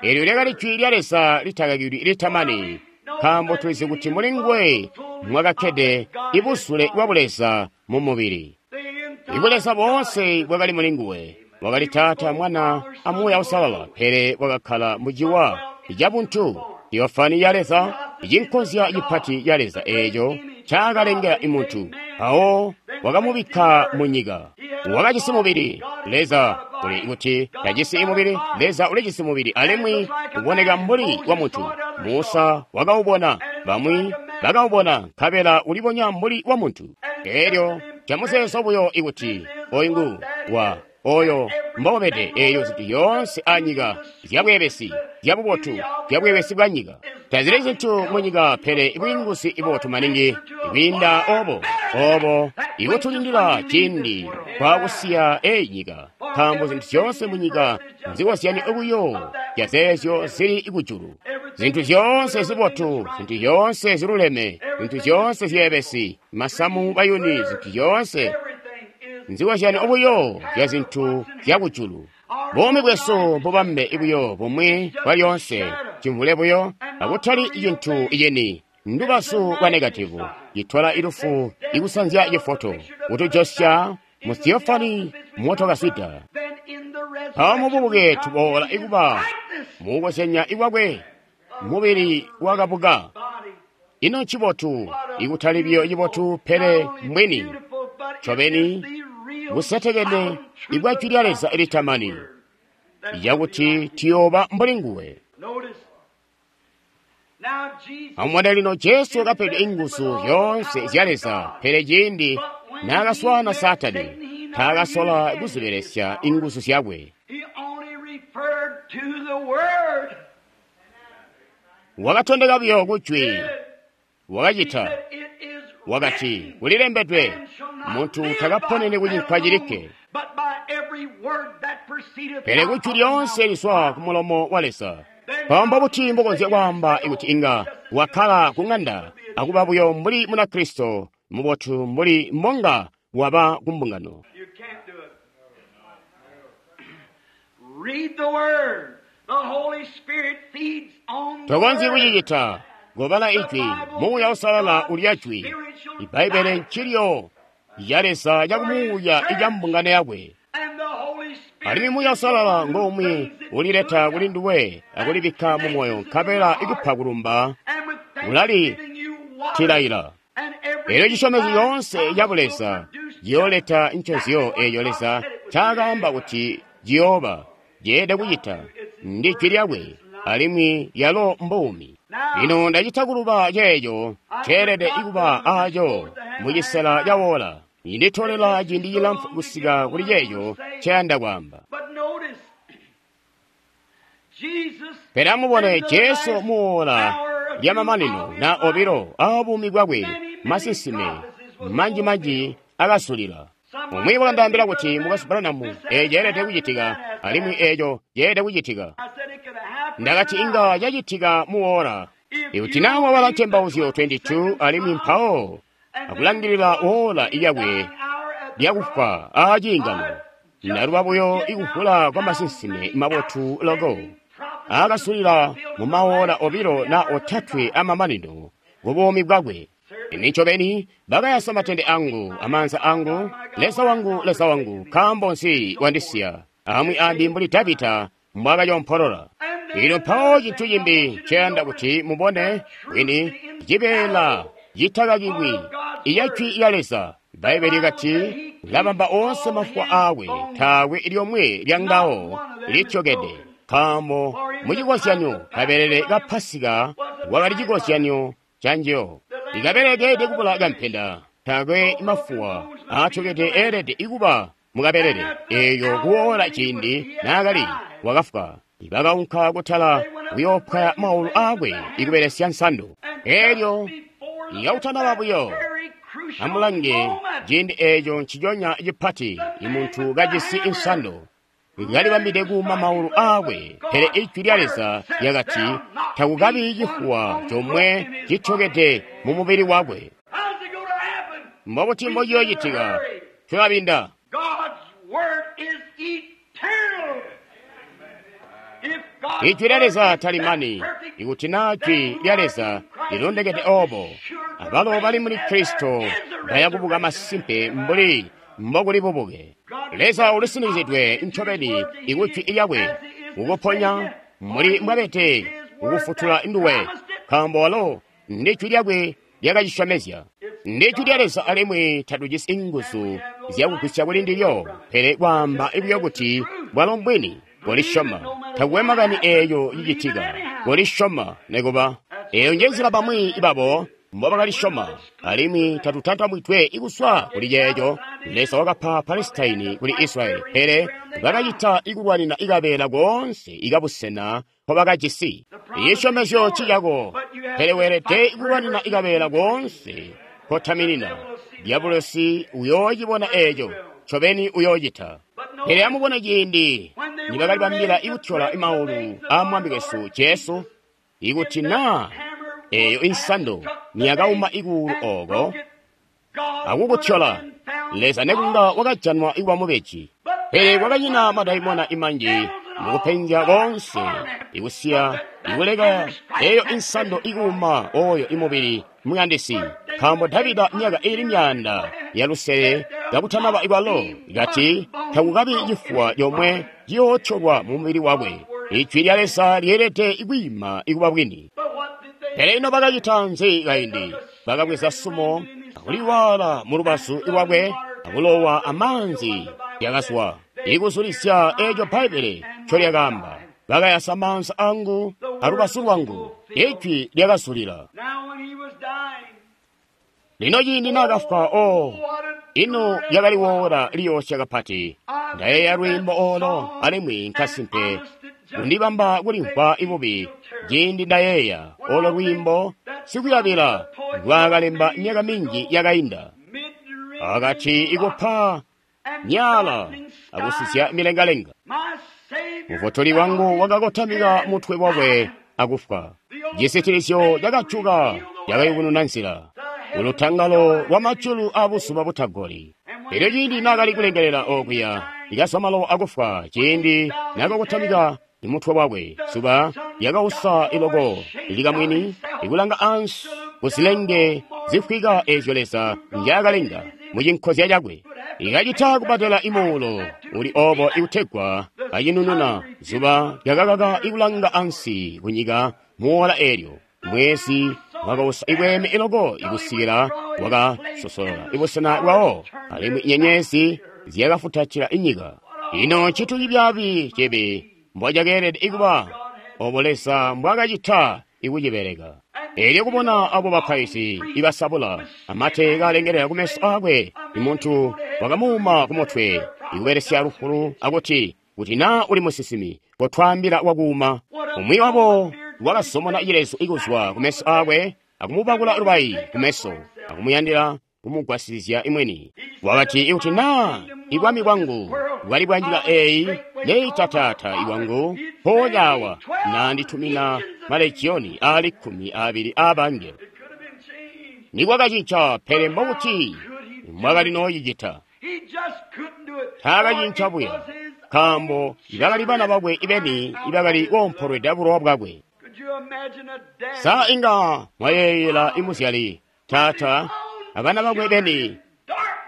Eelyo lyakali jwi lya Leza litakakilwi litamani, nkaambo tulizi kuti muli nguwe mwakakkede ibuzule bwa Buleza mu mubili. Ibuleza boonse bwakali muli nguwe. Wakali Taata, Mwana, a Muuya Uusalala, pele wakakkala mu ciwa cabuntu, theofani ya Leza, icinkozya cipati ca Leza eeco ncakalengela muntu. Mpawo wakamubikka mu nyika. Wakajisi mubili. Leza uli kuti tajisi mubili. Leza ulijisi mubili alimwi uboneka mbuli wa muntu. Musa wakaubona, bamwi bakaubona, nkabela ulibonya mbuli wa muntu. Elyo camuzeezo buyo ikuti oyu ngu wa oyo mbobede eyo zintu yoonse anyika zyabweebesi zyabubotu zyabweebesi bwa nyika tazili zintu mu nyika, pele bwiinguzi ibotu maningi kwiinda obo obo ikutulindila ciindi kwakusiya eyi nyika, nkaambo zintu zyoonse mu nyika nzikozyanyo buyo zyazeezyo zili kujulu. Zintu zyoonse zibotu, zintu zyoonse ziluleme, zintu zyoonse zyeebesi, masamu, bayuni, zintu zyoonse nzikozyanyo buyo zya zintu zyakujulu. Buumi bwesu bubambe buyo bumwi bwalyoonse, cimvule buyo, akutali cintu cini, ndubazu lwa negativu, citola ilufu ikusanzya cifoto, kutujosya mu theofani motokaswida. Mpawo mububuke tuboola ikuba mukukozyanya ikwakwe, mubili wakabuka. Ino ncibotu, ikutali biyo cibotu, pele mbwini ncobeni busetekene ibwa jwi lya Leza litamani, yakuti tuyooba mbuli nguwe. Amubone lino, Jesu wakapedwa inguzu zyoonse zya Leza, pele ciindi naakaswaana Saatani, taakasola kuzibelesya inguzu zyakwe. Wakatondeka buyo kujwi, wakacita, wakati, kulilembedwe, muntu takaponeni kucinkwa cilikke, pele kujwi lyoonse lizwa ku mulomo wa Leza. Mpawo mbuti mbokonzya kwaamba ikuti inga wakkala ku ng'anda akuba buyo mbuli Munakristo mubotu mbuli mbonga waba ku mbungano? Tokonzyi kucicita. Kobala ijwi, Muuya Uusalala ulya jwi. Ibbaibbele ncilyo ya Leza cakumuuya ica mbungano yakwe. Alimwi Muuya Uusalala ngomwe ulileta kuli nduwe akulibikka mu moyo, nkabela ikupa kulumba, ulalitilaila. Elyo cisyomezyo yoonse ca Buleza ciyooleta ncozyo eeco Leza ncaakaamba kuti ciyooba, ceelede kucita, ndi jwi lyakwe, alimwi lyalo mbuumi. Lino ndacita kuluba ceeco ceelede kuba aaco mucisela cawoola. Inditolela ciindi cilamfu kusika kuli ceeco nceyanda kwaamba. Pele amubone Jesu muwoola lyamamanino na obilo aabuumi bwakwe, masinsime manji-manji akasulila. Umwi wakandaambila kuti, Mukwesu Branham, eeco ceelede kucitika, alimwi eeco ceelede kucitika. Ndakati inga cacitika muwoola. Ikuti naa wabala Ntembauzyo makumi abili aabili alimwi mpawo akulangilila woola lyakwe lyakufwa aaciingano, ndaluba buyo ikuvula kwa masinsime mabotu loko aakasulila mu mawoola obilo na otatwe amamanino ku buumi bwakwe. Ine ncobeni bakayasa matende angu amaanza angu, Leza wangu, Leza wangu, nkaambo nzi wandisiya? Amwi ambi mbuli Davida mbwaakacompolola. Lino mpawo cintu cimbi nceyanda kuti mubone bwini cibeela citakakilwi iya jwi lya Leza. Bbaibbele lyakati labamba oonse mafuwa aakwe, taakwe lyomwe lyangawo lityokede. Nkaambo mucikozyanyo kabelele ka Pasika wakali cikozyanyo canjiyo. Ikabelele keelede kubula kampenda, taakwe mafuwa aatyokede eelede kuba mukabelele. Eeyo kuwoola ciindi naakali wakafwa, bakaunka kutala kuyoopwaya maulu aakwe ikubelesya nsando. Eelyo ikautanaba buyo, amulange ciindi eeco nciconya cipati imuntu kajisi insando kalibambide kuuma maulu aakwe, pele ijwi lya Leza lyakati takukabi cifuwa comwe cityokede mu mubili wakwe. Mbobuti mbociyoocitika? Tulabinda. Ijwi lya Leza talimani. Ikuti naa jwi lya Leza lilondekede obo, Abalo bali muli Kristo baya kubuka masimpe mbuli mbokuli bubuke. Leza ulisinizidwe ncobeni ikujwi lyakwe kukuponya muli mbwabete kukufutula nduwe, nkaambo walo ndi jwi lyakwe lyakacisyomezya. Ndi jwi lya Leza alimwi tatujisi inguzu zyakugwisya kuli ndilyo, pele kwaamba buyo kuti bwalo mbwini, kolisyoma. Takuwe makani eeyo cicitika, kolisyoma nekuba. Eeyo njenzila bamwi babo mbobakalisyoma, alimwi tatutantamwidwe ikuswa kuli ceeco. Leza wakapa Palesitaini kuli Israyeli, pele bakacita ikulwanina ikabeela koonse ikabusena nkobakajisi. Isyomezyo cicako, pele weelede ikulwanina ikabeela koonse kotaminina. Diabolosi uyoocibona eeco, ncobeni uyoocita. Pele amubone ciindi nibakalibambila ikutyola maulu aa Mwami wesu Jesu, ikuti naa eeyo insando niyakauma ikuulu ooko akukutyola, Leza nekunga wakajanwa ikuba mubeji. Pele kwakanyina madaimona imanji mukupenzya koonse ikusiya ikuleka eeyo insando ikuuma oyo imubili muyandisi, nkaambo Davida myaka iili myaanda yalusele kakutanaba ikwalo kati takukabi cifuwa comwe ciyootyolwa mumubili wakwe. Ijwi lya Leza lyeelede ikwiima ikuba bwini. Pele ino bakacita nzi kaindi? Bakabweza sumo akuliwaala mu lubazu lwakwe akulowa amaanzi lyakazwa ikuzulisya eeco Bbaibbele ncolyakaamba. Bakayasa maanza angu alubazu lwangu, ijwi lyakazulila. Lino ciindi naakafwa, o ino lyakali woola liyoosya kapati. Ndayeeya lwiimbo oolo alimwi nkasimpe kundibamba kulimvwa ibubi ciindi ndayeeya olo lwiimbo sikuyabila lwakalemba myaka minji yakainda. Akati ikupa nyala akusizya milengalenga. Mufutuli wangu wakakotamika mutwe wakwe akufwa. Cisitilizyo cakajuka cakayubununa nzila ulutangalo lwa majulu abuzuba butagoli. Elyo ciindi naakali kulengelela okuya likazwa malowa akufwa, ciindi naakakotamika mutwe wakwe, zuba lyakausa iloko likamwini ikulanga ansi kuzilenge zifwika eezyo Leza njaakalenga mucinkozya cakwe. Ikacita kubatela imuulo uli obo ikutegwa kacinununa. Zuba lyakakaka ikulanga ansi kunyika muwola eelyo. Mwezi wakausa ibweeme iloko ikusikila wakasosolola ibusena bwawo, alimwi nyenyezi zyakafutatila inyika. Ino ncitu cibyaabi cibi mbocakeelede ikuba obo Leza mbwaakacita ikucibeleka. Elyo kubona abo bapaizi ibasabula amate kalengelela kumeso aakwe, imuntu wakamuuma kumutwe ikubelesya lufulu akuti, kuti naa uli musinsimi, kotwaambila wakuuma. Umwi wabo wakasomona cilezu ikuzwa kumeso aakwe akumubakula lubayi kumeso akumuyandila kumugwasizya imweni. Wakati, ikuti naa ibwami bwangu bwali bwa nyika eeyi, neitataata iwangu mpoonya naanditumina malegioni aali kkumi aabili aabangelo. Nikwakacinca, pele mbokuti mwakali nooyicita. Taakacinca buya, nkaambo ibakali bana bakwe ibeni ibakali koompolweda bulowa bwakwe. Sa inga mwayeeyela imuzyali taata abana bakwe beni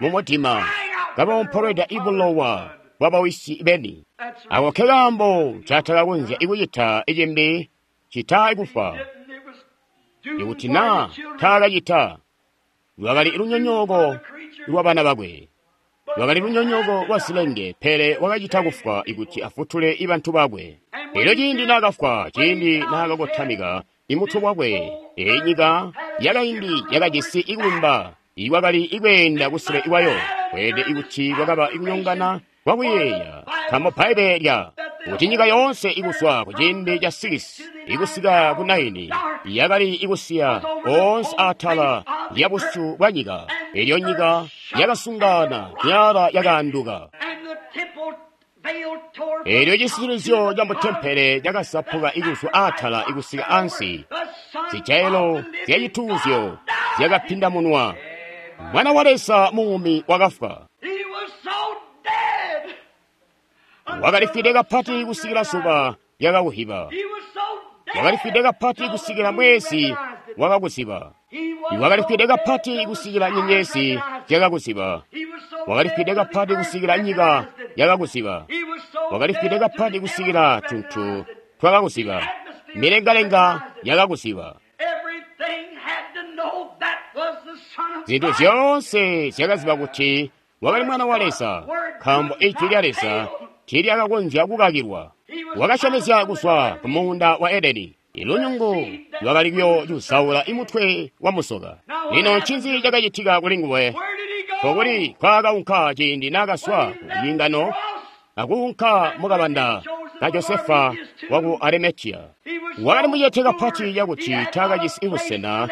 mumutima kaboompolweda ibulowa bwabawisi beni? Ako ke kaambo ncatakakonzya ikucita icimbi cita ikufwa. Ikuti naa taakacita, lwakali lunyonyooko lwabana bakwe, lwakali lunyonyooko lwa zilenge, pele wakacita kufwa ikuti afutule ibantu bakwe. Elyo ciindi naakafwa, ciindi naakakotamika imutwe wakwe, eyi nyika yakaindi yakajisi ikulumba ikwakali ikweenda kusule ikwayo, kweelede ikuti kwakaba ikunyongana kwakuyeeya, nkaambo Bbaibbele lya kuti nyika yoonse ikuswa kuciindi ca sikisi ikusika ku naini yakali ikusiya oonse atala lya busyu bwa nyika. Elyo nyika yakasungana, myala yakaanduka. Elyo cisitilizyo ca mutempele cakasapuka ikuzwa atala ikusika ansi. Zijailo zyacituuzyo zyakapindamunwa. Mwana wa Leza muumi wakafwa. Wakalifwide kapati kusikila zuba lyakakuhiba. Wakalifwide kapati kusikila mwezi wakakuziba. Wakali fwide kapati kusikila nyenyezi zyakakuziba. Wakali fwide kapati kusikila nyika yakakuziba. Wakali fwide kapati kusikila tuntu twakakuziba. Milengalenga yakakuziba. Zintu zyoonse zyakaziba kuti wakali Mwana wa Leza, nkaambo Ijwi lya Leza tiilyakakonzya kukakilwa. Wakasyomezya kuzwa ku muunda wa Edeni, ilunyungu lwakali kuyoocuzaula imutwe wa musoka. Lino ncinzi cakacitika kuli nguwe? Nkokuli kwaakaunka ciindi naakazwa ku ciingano akuunka mukabanda ka Josefa waku Arimateya. Wakali mucete kapati cakuti taakajisi busena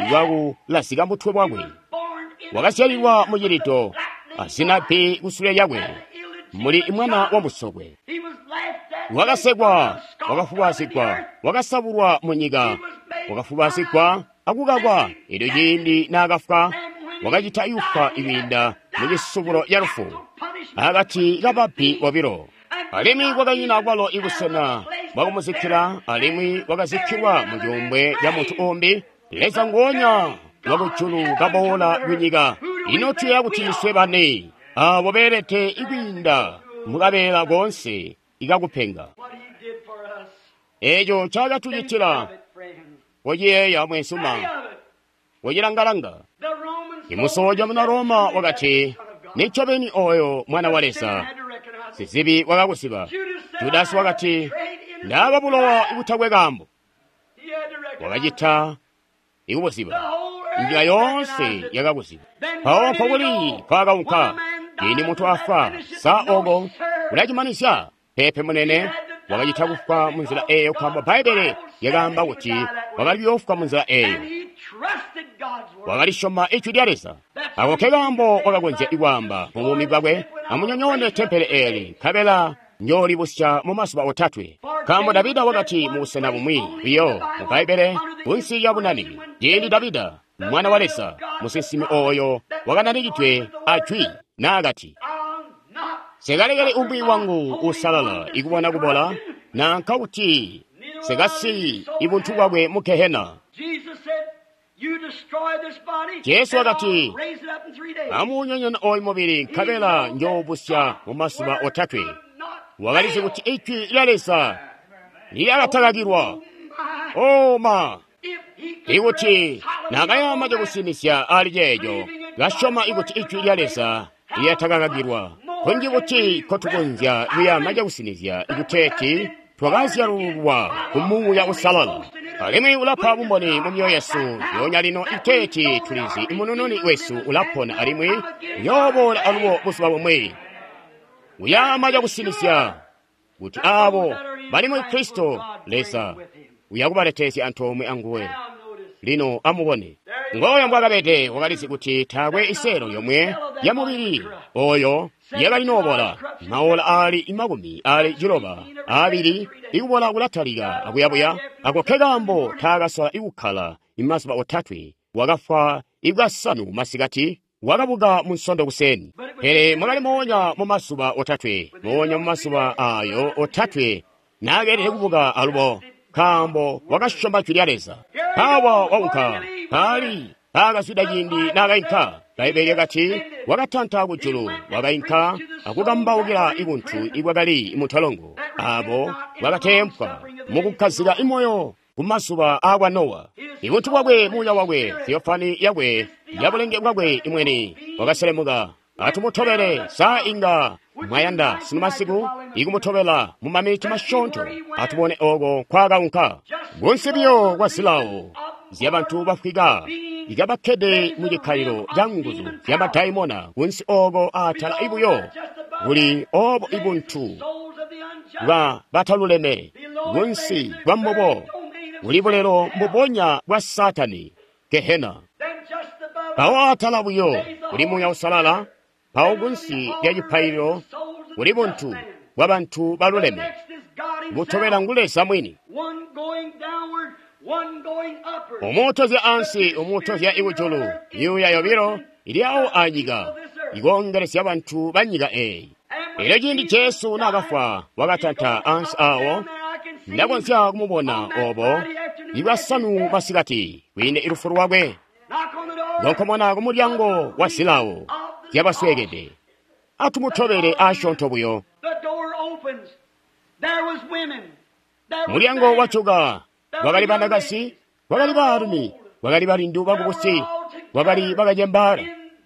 bwakulazika mutwe wakwe. Wakazyalilwa mucilido azina bbi kusule lyakwe, muli mwana wa musokwe. Wakasekwa, wakafubazigwa, wakasabulwa munyika, wakafubazigwa akukakwa. Elyo ciindi naakafwa, wakacita yufwa ikwiinda mucisubulo ca lufu akati kababbi bobilo. Alimwi kwakanyina kwalo ibusena bwakumuzikkila, alimwi wakazikkilwa mu cuumbwe ca muntu umbi. Leza nguonya wakujulu kaboola kunyika. Ino tuyeeya kuti iswe bane abo beelede ikwiinda mukabeela koonse ikakupenga. Eeco ncaakatucitila, kociyeeya mwensuma, kocilangalanga. Imusoja muna Roma wakati, nincobeni oyo Mwana wa Leza. Sizibi wakakuziba. Judasi wakati, ndaaba bulowa ibutakwe kaambo. Wakacita ikubuziba. Nyika yoonse yakakuziba. Mpawo nkokuli kwaakaunka. Ciindi muntu afwa, sa oko ulacimanizya? Peepe munene, wakacita kufwa munzila eeyo nkaambo Bbaibbele lyakaamba kuti wakali kuyoofwa munzila eeyo. Wakalisyoma Ijwi lya Leza. Ako ke kaambo wakakonzya ikwaamba mu buumi bwakwe, amunyonyoone tempele eeli, nkabela njoolibusya mu mazuba otatwe. Nkaambo Davida wakati mu busena bumwi biyo mu Bbaibbele kunsi lya bunani, ciindi Davida mwana wa Leza, musinsimi oyo wakananikidwe ajwi naakati, sekalekele umwi wangu usalala ikubona kubola, nanka kuti sekasiyi ibuntu bwakwe mu Gehena. Jesu wakati, amuunyonyoone oyu mubili nkabela njoobusya mu mazuba otatwe. Wakalizi kuti Ijwi lya Leza lyakatakakilwa. O ma! Ikuti naakayama cakusinizya ali ceeco, kasyoma ikuti Ijwi lya Leza lyatakakakilwa, kunji kuti kotukonzya kuyama cakusinizya ikuteeti twakazyalulwa ku Muuya Uusalala. Alimwi ulapa bumboni mu myoyo yesu yoonya lino iteeti tulizi Munununi wesu ulapona alimwi uyooboola alubo buzuba bumwi. Uyama cakusinizya kuti aabo bali mu Kristo Leza uyakubaletezya antoomwe anguwe. Lino amubone ngoyo mbwakabede. Wakalizi kuti taakwe iseelo yomwe ya mubili oyo yakali noobola. Maola aali makumi aali ciloba aabili ikubola kulatalika akuyabuya. Ako ke kaambo taakasola ikukkala imazuba otatwe. Wakafwa ikasanu masikati, wakabuka mu Nsondo kuseni. Pele mwakali moonya mu mazuba otatwe, moonya mu mazuba ayo otatwe naakeelede kubuka alubo, nkaambo wakasyoma Jwi lya Leza. Mpawa waunka paali paakazwida ciindi naakainka. Bbaibbele lyakati wakatanta kujulu, wakainka akukambaukila ibuntu ibwakali muntolongo, abo bakateempwa mukukkazika imoyo ku mazuba aakwa Nowa. Ibuntu bwakwe, muuya wakwe, theofani yakwe, yabulenge bwakwe imweni wakaselemuka. Atumutobele sa inga mwayanda sunu masiku ikumutobela mu maminiti masyoonto. Atubone oko kwaakaunka kunsi biyo kwa zilawo zyabantu bafwika ikabakkede mu cikkalilo ca nguzu zya madaimona kunsi oko atala ibuyo kuli obo ibuntu bwa bataluleme kunsi kwa mbubo kuli bulelo mbubonya bwa Satani, Gehena. Mpawo atala buyo kuli Muuya Uusalala, mpawo kunsi lya cipaililo kuli buntu bwa bantu baluleme. Butobela ngu Leza mwini. Umutozya ansi, umutozya ikujulu, myuuya yobilo ili awo anyika ikoongelezya bantu ba nyika eeyi. Elyo ciindi Jesu naakafwa, wakatanta ansi awo. Ndakonzya kumubona obo ibwasanu masikati kwiinde ilufu lwakwe. Konkomona ku mulyango wa zilawo zyabasweekede. Atumutobele asyoonto buyo. Mulyango wajuka. Kwakali banakazi, kwakali baalumi, kwakali balindu bakubusi, kwakali bakacembaala.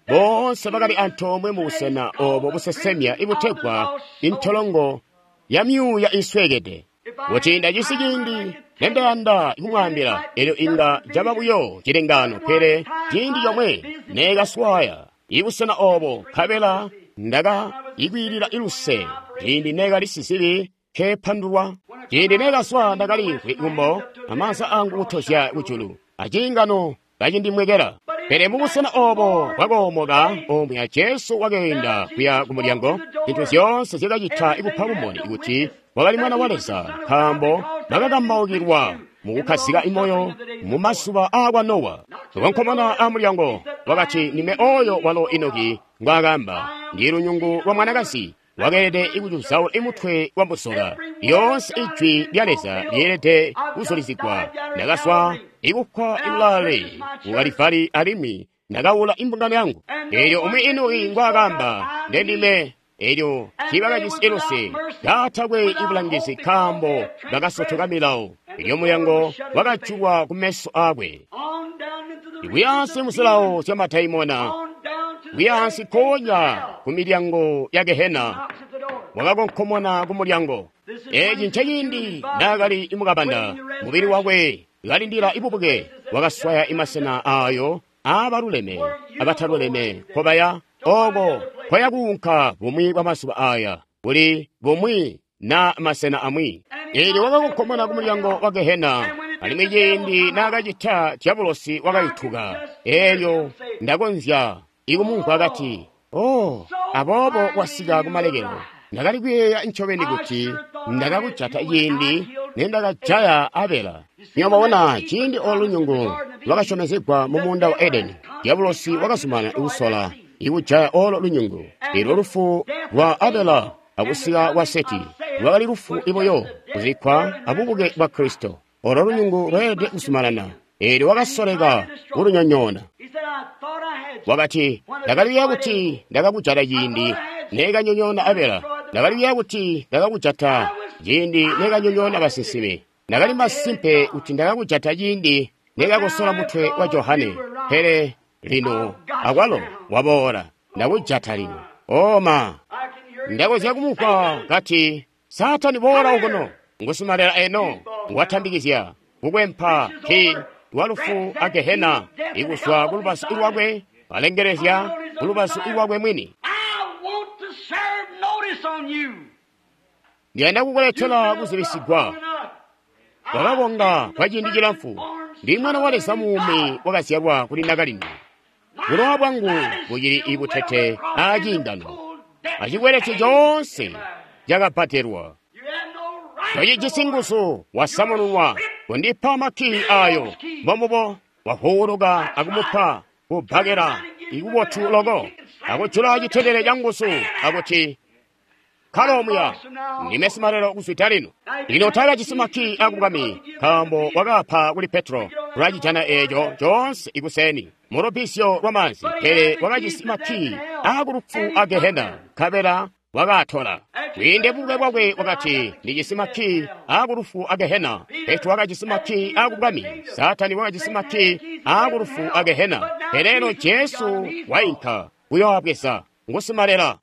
Boonse bakali antoomwe mu busena obo busesemya ibutegwa intolongo ya myuuya isweekede. Kuti ndajisi ciindi nendayanda kumwaambila, elyo inga caba buyo cilengaano, pele ciindi comwe neekaswaya ibusena obo, nkabela ndakaikwiilila iluse ciindi neekali sizibi nkepandulwa. Ciindi neekaswa ndakaliimvwi kumbo, amaanza angu kutozya kujulu, aciingano kacindimwekela. Pele mubusena obo bwakoomoka omwe Jesu wakeenda kuya ku mulyango, zintu zyoonse zyakacita kupa bumboni kuti wakali Mwana wa Leza, nkaambo bakakambaukilwa mukukkazika moyo mu mazuba aakwa Nowa. Konkomona amulyango wakati, "Ndime oyo walo Enoki ngwaakaamba, ndi lunyungu lwa mwanakazi wakeelede ikucuzaula imutwe wa muzoka." Lyoonse ijwi lya Leza lyeelede kuzulizigwa. Ndakaswa ikufwa ilale ku Kalivali alimwi ndakawula imbungano yangu. Eelyo umwi Enoki ngwaakaamba, ndendime. Elyo tiibakajisi iluse, kaatakwe ibulangizi nkaambo bakasotoka milawo. Elyo mulyango wakajulwa kumeso aakwe. Kuyaansi muzilawo zya madaimona, kuyaansi konya ku milyango ya Gehena, wakakonkomona ku mulyango. Eeci nceciindi naakali mukabanda, mubili wakwe kalindila ibubuke, wakaswaya imasena aayo aabaluleme abataluleme nkobaya oko koya kuunka bumwi bwa mazuba aya, kuli bumwi na masena amwi. Eelyo wakakonkomona ku mulyango wa Gehena, alimwi ciindi naakacita dyabulosi wakayutuka. Eelyo ndakonzya ikumumvwa kati, "Oh, aboobo wasika kumalekelo. Ndakali kuyeeya ncobeni kuti ndakakujata ciindi nendakajaya Abela." Mwabona, ciindi olo lunyungu lwakasyomezegwa mu muunda wa Edeni, dyabulosi wakazumana ikusola ikujaya olo lunyungu. Elyo lufu lwa Abela akusika kwa Seti lwakali lufu ibuyo, kuzikkwa abubuke bwa Kristo. Olo lunyungu lweelede kuzumanana. Eelyo wakasoleka kulunyonyoona. Wakati, "Ndakali kuti ndakakujata ciindi neekanyonyoona Abela. Ndakali kuti ndakakujata ciindi neekanyonyoona basinsimi. Ndakali masimpe kuti ndakakujata ciindi neekakosola mutwe wa Johane. Pele lino akwalo waboola, ndakujata lino." Oma, ndakonzya kumumvwa kati, "Saatani boola okuno, ngusimalela eno watambikizya kukwempa ki lwa lufu a Gehena ikuzwa ku lubazu lwakwe alengelezya ku lubazu lwakwe mwini. Ndiyanda kukuletela kuzibisigwa. Wakakonga kwa ciindi cilamfu. Ndi Mwana wa Leza muumi wakazyalwa kuli nakalindu. Bulowa bwangu bucili ibutete aciingano, acikwelete coonse cakabbadelwa. Tocijisi nguzu, wasamununwa kundipa makkii ayo. Mbomubo wahuuluka akumupa kubbakela ikubotu loko, akujula citendele ca nguzu akuti, "Kalomuya, ndime simalelo kuzwida lino." Lino taakajisi makkii akubwami, nkaambo wakaapa kuli Petro lwacijana eeco coonse ikuseni mu lubbizyo lwamaanzi, pele wakajisi makkii aakulufu a Gehena, nkabela wakaatola. Kwiinde bubuke bwakwe wakati, "Ndijisi makkii aakulufu a Gehena." Petro wakajisi makkii aakubwami, Saatani wakajisi makkii aakulufu a Gehena. Pele eno Jesu wainka kuyoabweza, ngusimalela.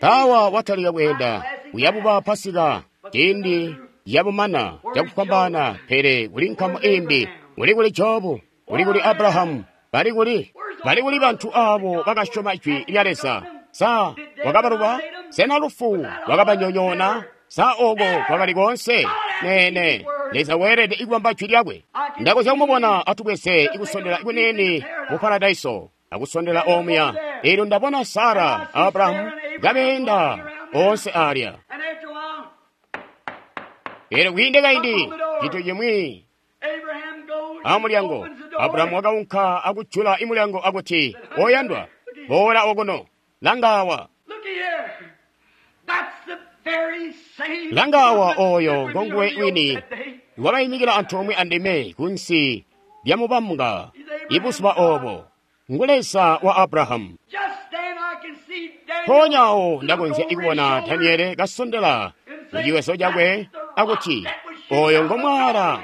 Tawa watalika kweenda kuyabuba Pasika ciindi yabumana cakufwambaana, pele kuli nkamu imbi, kuli kuli Jobu, kuli kuli Abrahamu, bali kuli bali kuli bantu abo bakasyoma ijwi lya Leza. Sa wakabaluba? Sena lufu lwakabanyonyoona? Sa oko kwakali koonse? Neene, Leza weelede ikubamba jwi lyakwe. Ndakonzya kumubona atubweze ikusondela kunene mu paradaiso, akusondela omuya. Eelyo ndabona Sara Abrahamu kabeenda onse alya. Eelyo kwiinde kaindi cintu cimwi amulyango, Abrahamu wakaunka akujula imulyango akuti, "Oyandwa, boola okuno, langawa." Langawa oyo ngonguwe wini wakayimikila antoomwe andime kunsi lyamubambwa Ibuzuba obo ngu Leza wa Abrahamu. Just then I can see Daniel Mpoonya awo ndakonzya look over kubona his shoulder Daniele kasondela muciwezo cakwe akuti oyo ngo mwala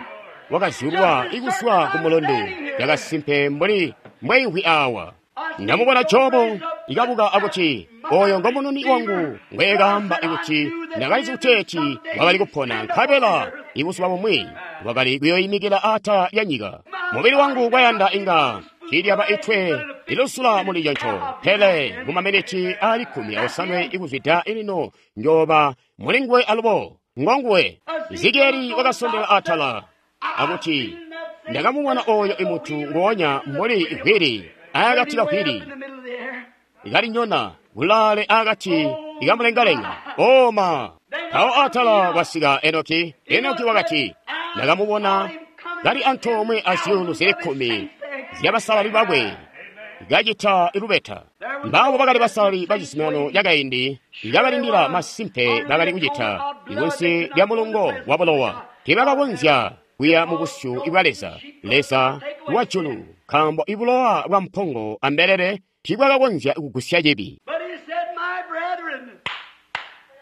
wakazyulwa ikuzwa ku mulundu yakasimpe mbuli mbweimvwi awa. Ndamubona Jobo ikabuka akuti oyo ngo mununi wangu ngwekaamba ikuti ndakalizi kuteeti wakali kupona nkabela ibuzuba bumwi wakali kuyoyimikila atala lya nyika. Mubili wangu kwayanda inga cilyaba itwe ilusula muli conco, pele mu maminiti ali kkumi aosanwe ikuzwida ilino njoba mulinguwe alubo ngonguwe. Ezekieli wakasondela atala akuti ndakamubona oyo imutu ngonya mbuli igwiri akati kagwiri in the middle of the air. ikalinyona kulaale akati ikamulengalenga oma. Mpawo atala kwasika Enoki. Enoki wakati ndakamubona kali antoomwe azyuulu zili kkumi zyabasalali bakwe kacita ilubeta. Mbabo bakali basalali ba cizuminano cakaindi ikabalindila masimpe bakali kucita ikunsi lya mulungo wa bulowa. Tiibakakonzya kuya mu busyu bwa Leza, Leza wa julu, nkaambo ibulowa bwa mpongo ambelele tiibwakakonzya kugusya cibi. But he said, My brethren,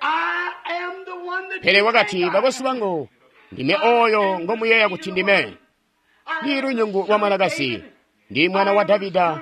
I am the one that Pele you wakati, think I bakwesu am. bangu, ndime oyo ngomuyeeya kuti ndime. I Ndili am lunyungu the lwa son of mwanakazi, David. ndi mwana wa Davida,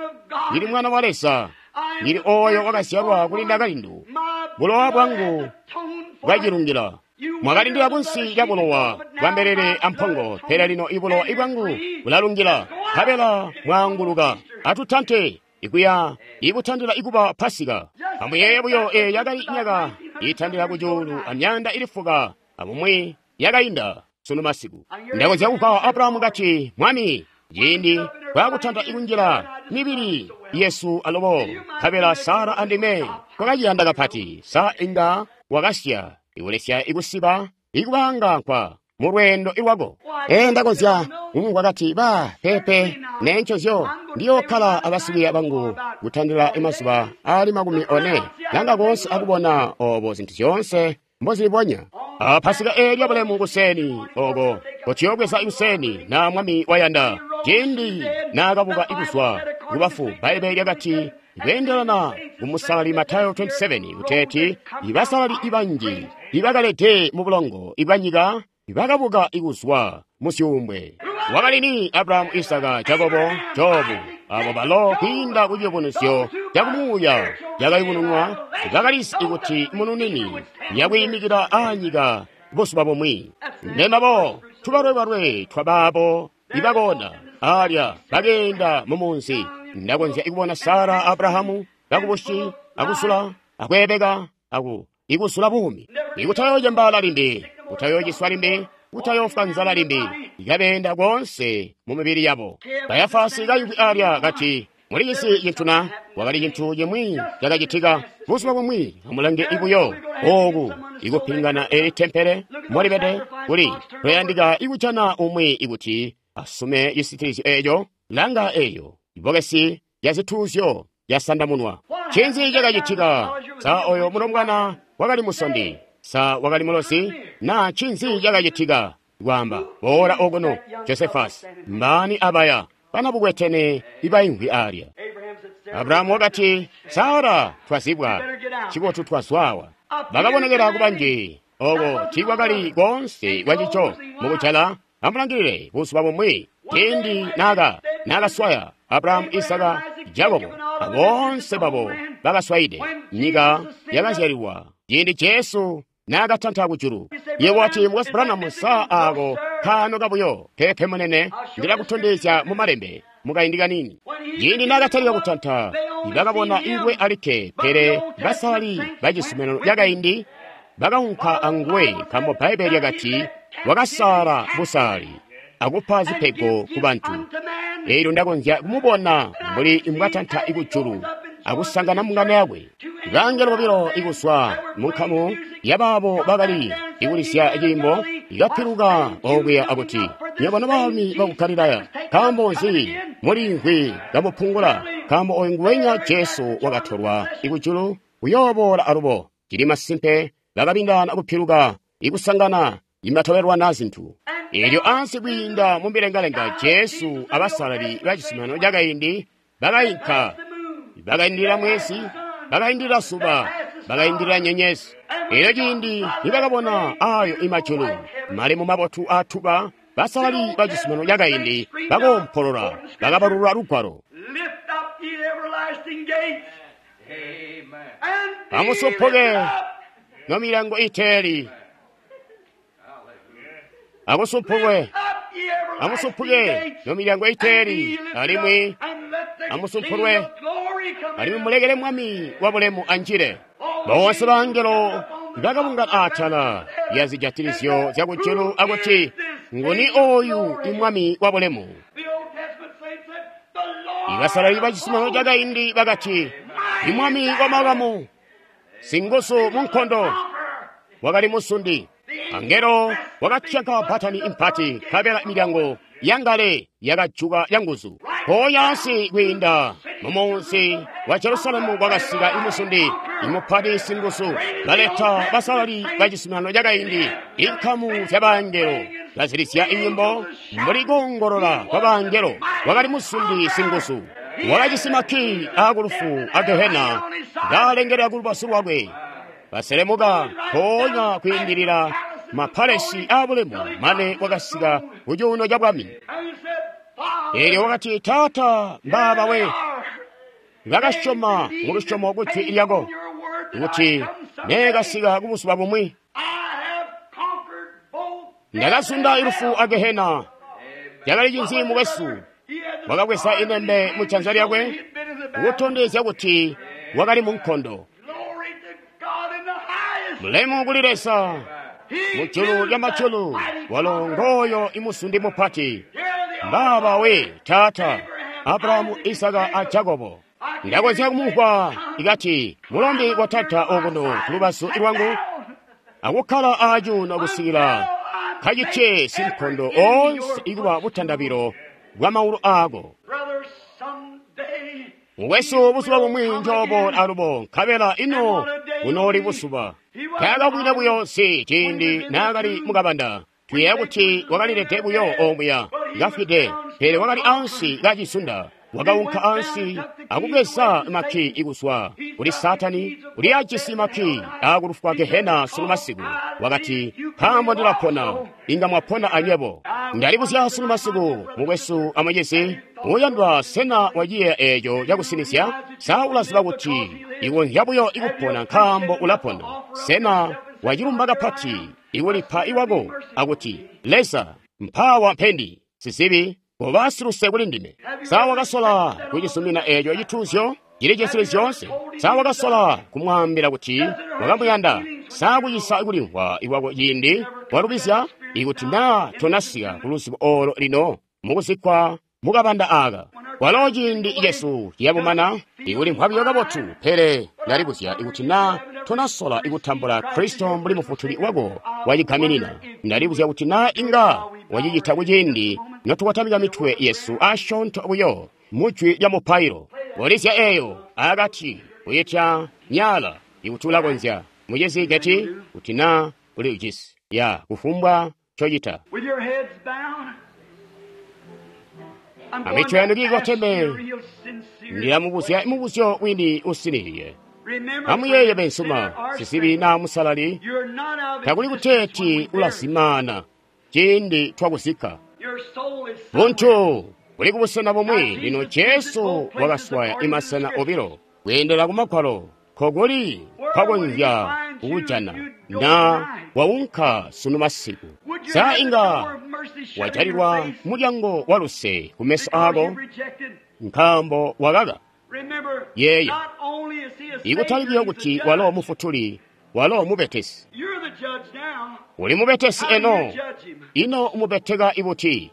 ndili mwana wa Leza, I am ndili the oyo wakazyalwa firstborn. kuli ndakalindu. My Bulowa blood bwangu has atoned for bwacilungila. Mwakalindila kunsi lya bulowa bwa mbelele ampongo, pele lino ibulowa ibwangu bulalungila, nkabela mwaanguluka. Atutante ikuya ikutandila ikuba Pasika. Amuyeeye buyo eyo yakali myaka itandila kucuulu amyanda ilifuka amumwi yakainda sunu masiku. Ndakonzya kupa Abrahamu kati, Mwami, ciindi twakutanta ikunjila mibili yesu alubo, nkabela Sara andime twakaciyanda kapati. Sa inga wakasya ikulesya ikusiba ikubanga nkwa mu lweendo ilwako. Ee ndakonzya kumumvwa kati ba pepe nencozyo ndiyokkala abasikwiiya bangu kutandila imazuba ali makumi one langa konse akubona obo zinthu zyoonse mbozilibonya. A Pasika eelya bulemu kuseni oko kotiyobweza ikuseni na mwami wayanda ciindi naakabuka ikuzwa kubafu. Bbaibeli lyakati kweendelana kumusalali Matayo makumi abili asanu kuteeti ibasalali ibanji ibakalede mu bulongo ibanyika bakabuka ikuzwa mu zyuumbwe. Wakali ni Abrahamu, Isaka, Jakobo, Jobu, abo balo kwiinda ku ciyubunuzyo cakumuuya cakayubununwa bakalizi ikuti mununini yakwiimikila aanyika buzuba bumwi. Mbembabo tubalwebalwe twabaabo ibakona alya bakeenda mu munzi. Ndakonzya ikubona Sara Abrahamu kakubushi akusula akweebeka aku ikusula buumi ikutayoocembaala limbi, kutayociswa limbi, kutayoofwa nzala limbi, ikabeenda konse mu mibili yabo. Kayafasi kayimvwi alya kati mulicisi cintu na wakali cintu cimwi cakacitika buzuba bumwi. Amulange ibuyo oku ikupingana eli tempele molibede kuli kuyandika ikujana umwi ikuti asume cisitilizyo eco. Langa eyo ibokesi lya zituuzyo lyasandamunwa. Ncinzi cakacitika? Sa oyo mulombwana wakali musondi? Sa wakali mulosi? Na ncinzi cakacitika? Kwaamba boola okuno Josephus, mbani abaya banabukwetene ibaimvwi alya. Abraham said, Sarah, Abrahamu wakati, Sara, twazibwa cibotu twazwawa. Bakabonekera kubanji oko tiikwakali konse kwacico mukujala. Amulangilile buzuba bumwi ciindi naka nakaswaya Abrahamu, Isaka, Jakobo aboonse babo bakaswayide nyika yakazyalilwa ciindi Jesu nakatanta kujulu. Yebo wati mukwesu Branham, sa ako kaano kabuyo? Pepe munene, ndilakutondezya mu malembe mukaindi kanini. Ciindi nakatalika kutanta bakabona ingwe alikke, pele basalali ba cizuminano cakaindi bakaunka anguwe, nkaambo Bbaibeli lyakati wakasala busali akupa zipego ku bantu. Eelyo ndakonzya kumubona mbuli mbwatanta ikujulu akusangana mbungano yakwe. Bangelo bobilo ikuzwa mu nkamu yabaabo bakali ikulisya ciimbo ikapiluka okuya akuti, nywebo nobaalumi baku Galilaya, nkaambo nzi muliimvwi kamupungula? Nkaambo oyu nguwenya Jesu wakatolwa ikujulu uyooboola alubo. Cili masimpe bakabindana kupiluka ikusangana imatobelwana zintu. Elyo ansi kwiinda mu milengalenga Jesu abasalali ba cizuminano cakaindi bakainka, bakaindilila mwezi, bakaindilila zuba, bakaindilila nyenyezi. Elyo ciindi nibakabona ayo imajulu malemu mabotu atuba, basalali ba cizuminano cakaindi bakoompolola, bakabalula lugwalo. Amusumpuke nomilyango iteeli, amusumpukwe, amusumpuke nomilyango iteeli, alimwi amusumpulwe, alimwi mulekele Mwami wa bulemu anjile. Boonse bangelo bakabungana atala lya zijatilizyo zya kujulu akuti, nguni oyu imwami wa bulemu? Ibasalali ba cizuminano cakaindi bakati, imwami wa makamu, singuzu mu nkondo, wakali musundi. Angelo wakatyanka bbatani impati, nkabela milyango yangale yakajuka yanguzu. Mpoonya ansi kwiinda mumunzi wa Jerusalemu kwakasika imusundi imupati singuzu, baleta basalali ba cizuminano cakaindi, inkamu zyabangelo bazilizya inyimbo mbuli koongolola kwabangelo. Wakali musundi singuzu, wakajisi makki aakulufu a Gehena kaalengelela kulubazu lwakwe. Baselemuka mpoonya kwiindilila mapalesi aabulemu mane wakasika ku cuuno ca bwami. Eelyo wakati, Taata, mbaaba we bakasyoma mu lusyomo kujwi lyako, kuti neekasika kubuzuba bumwi ndakazunda ilufu a Gehena. Cakali cinzi mukwesu? Wakabweza inembe mu janza lyakwe kutondezya kuti wakali mu nkondo. Mulemu kuli Leza mujulu lya majulu, walo ngooyo imusundi mupati. Mbaaba we Taata, Abrahamu, Isaka a Jakobo. Ndakonzya kumumvwa ikati mulombe wa Taata okuno kulubazu lwangu akukkala acuuno kusikila kacitye sinkondo onse ikuba butandabilo bwa maulu aako. Mukwesu, buzuba bumwi njooboola alubo, nkabela ino bunooli buzuba. Taakabwine buyo si ciindi naakali mukabanda. Tuyeeya kuti wakalilede buyo omuya kafwide, pele wakali ansi kacizunda. Wakaunka ansi akubweza makki ikuzwa kuli Saatani, uli ajisi makki akulufwa Gehena sunu masiku. Wakati, nkaambo ndilapona, inga mwapona anywebo. Ndalibuzya sunu masiku, mukwesu amucizi uyandwa, sena waciyeeya eeco cakusinizya? Sa ulaziba kuti ikonzya buyo ikupona nkaambo ulapona? Sena wacilumba kapati ikulipa iwako akuti, Leza, mpawa mpendi, sizibi, koba siluse kuli ndime? Sa wakasola kucizumina eeco cituuzyo cili cesili zyoonse? Sa wakasola kumwaambila kuti wakamuyanda? Sa kucisa kulimvwa iwako ciindi walubizya? Ikuti naa tonasika kuluzibo olo lino mukuzikkwa mukabanda aaka, walo ciindi cesu ciyabumana ikulimvwa buyo kabotu. Pele ndalibuzya ikuti naa tonasola ikutambula Kristo mbuli mufutuli wako wacigaminina. Ndalibuzya kuti naa inga wacicita kuciindi notukotamika mitwe yesu asyoonto buyo mujwi lya mupailo. Kolizya eeyo akati kuyitya nyaala ikuti ulakonzya. Mucizi Geti, kuti naa uli ujisi ya kufumbwa ncocita. Amitwe yanu kiikoteme, ndilamubuzya mubuzyo wini usiniliye. Amuyeeye bensuma, sizibi naa musalali, takuli kuteeti ulazimaana ciindi twakuzikka. Buntu buli kubusena bumwi. Lino Jesu wakaswaya imasena obilo kweendela ku Magwalo, nkokuli kwakonzya kukujana na waunka sunu masiku. Sa inga wajalilwa mulyango wa luse kumeso aako nkaambo wakaka? Yeeya, ikutali buyo kuti walo mufutuli, walo mubetesi. Uli mubetesi eno, ino umubeteka ibuti?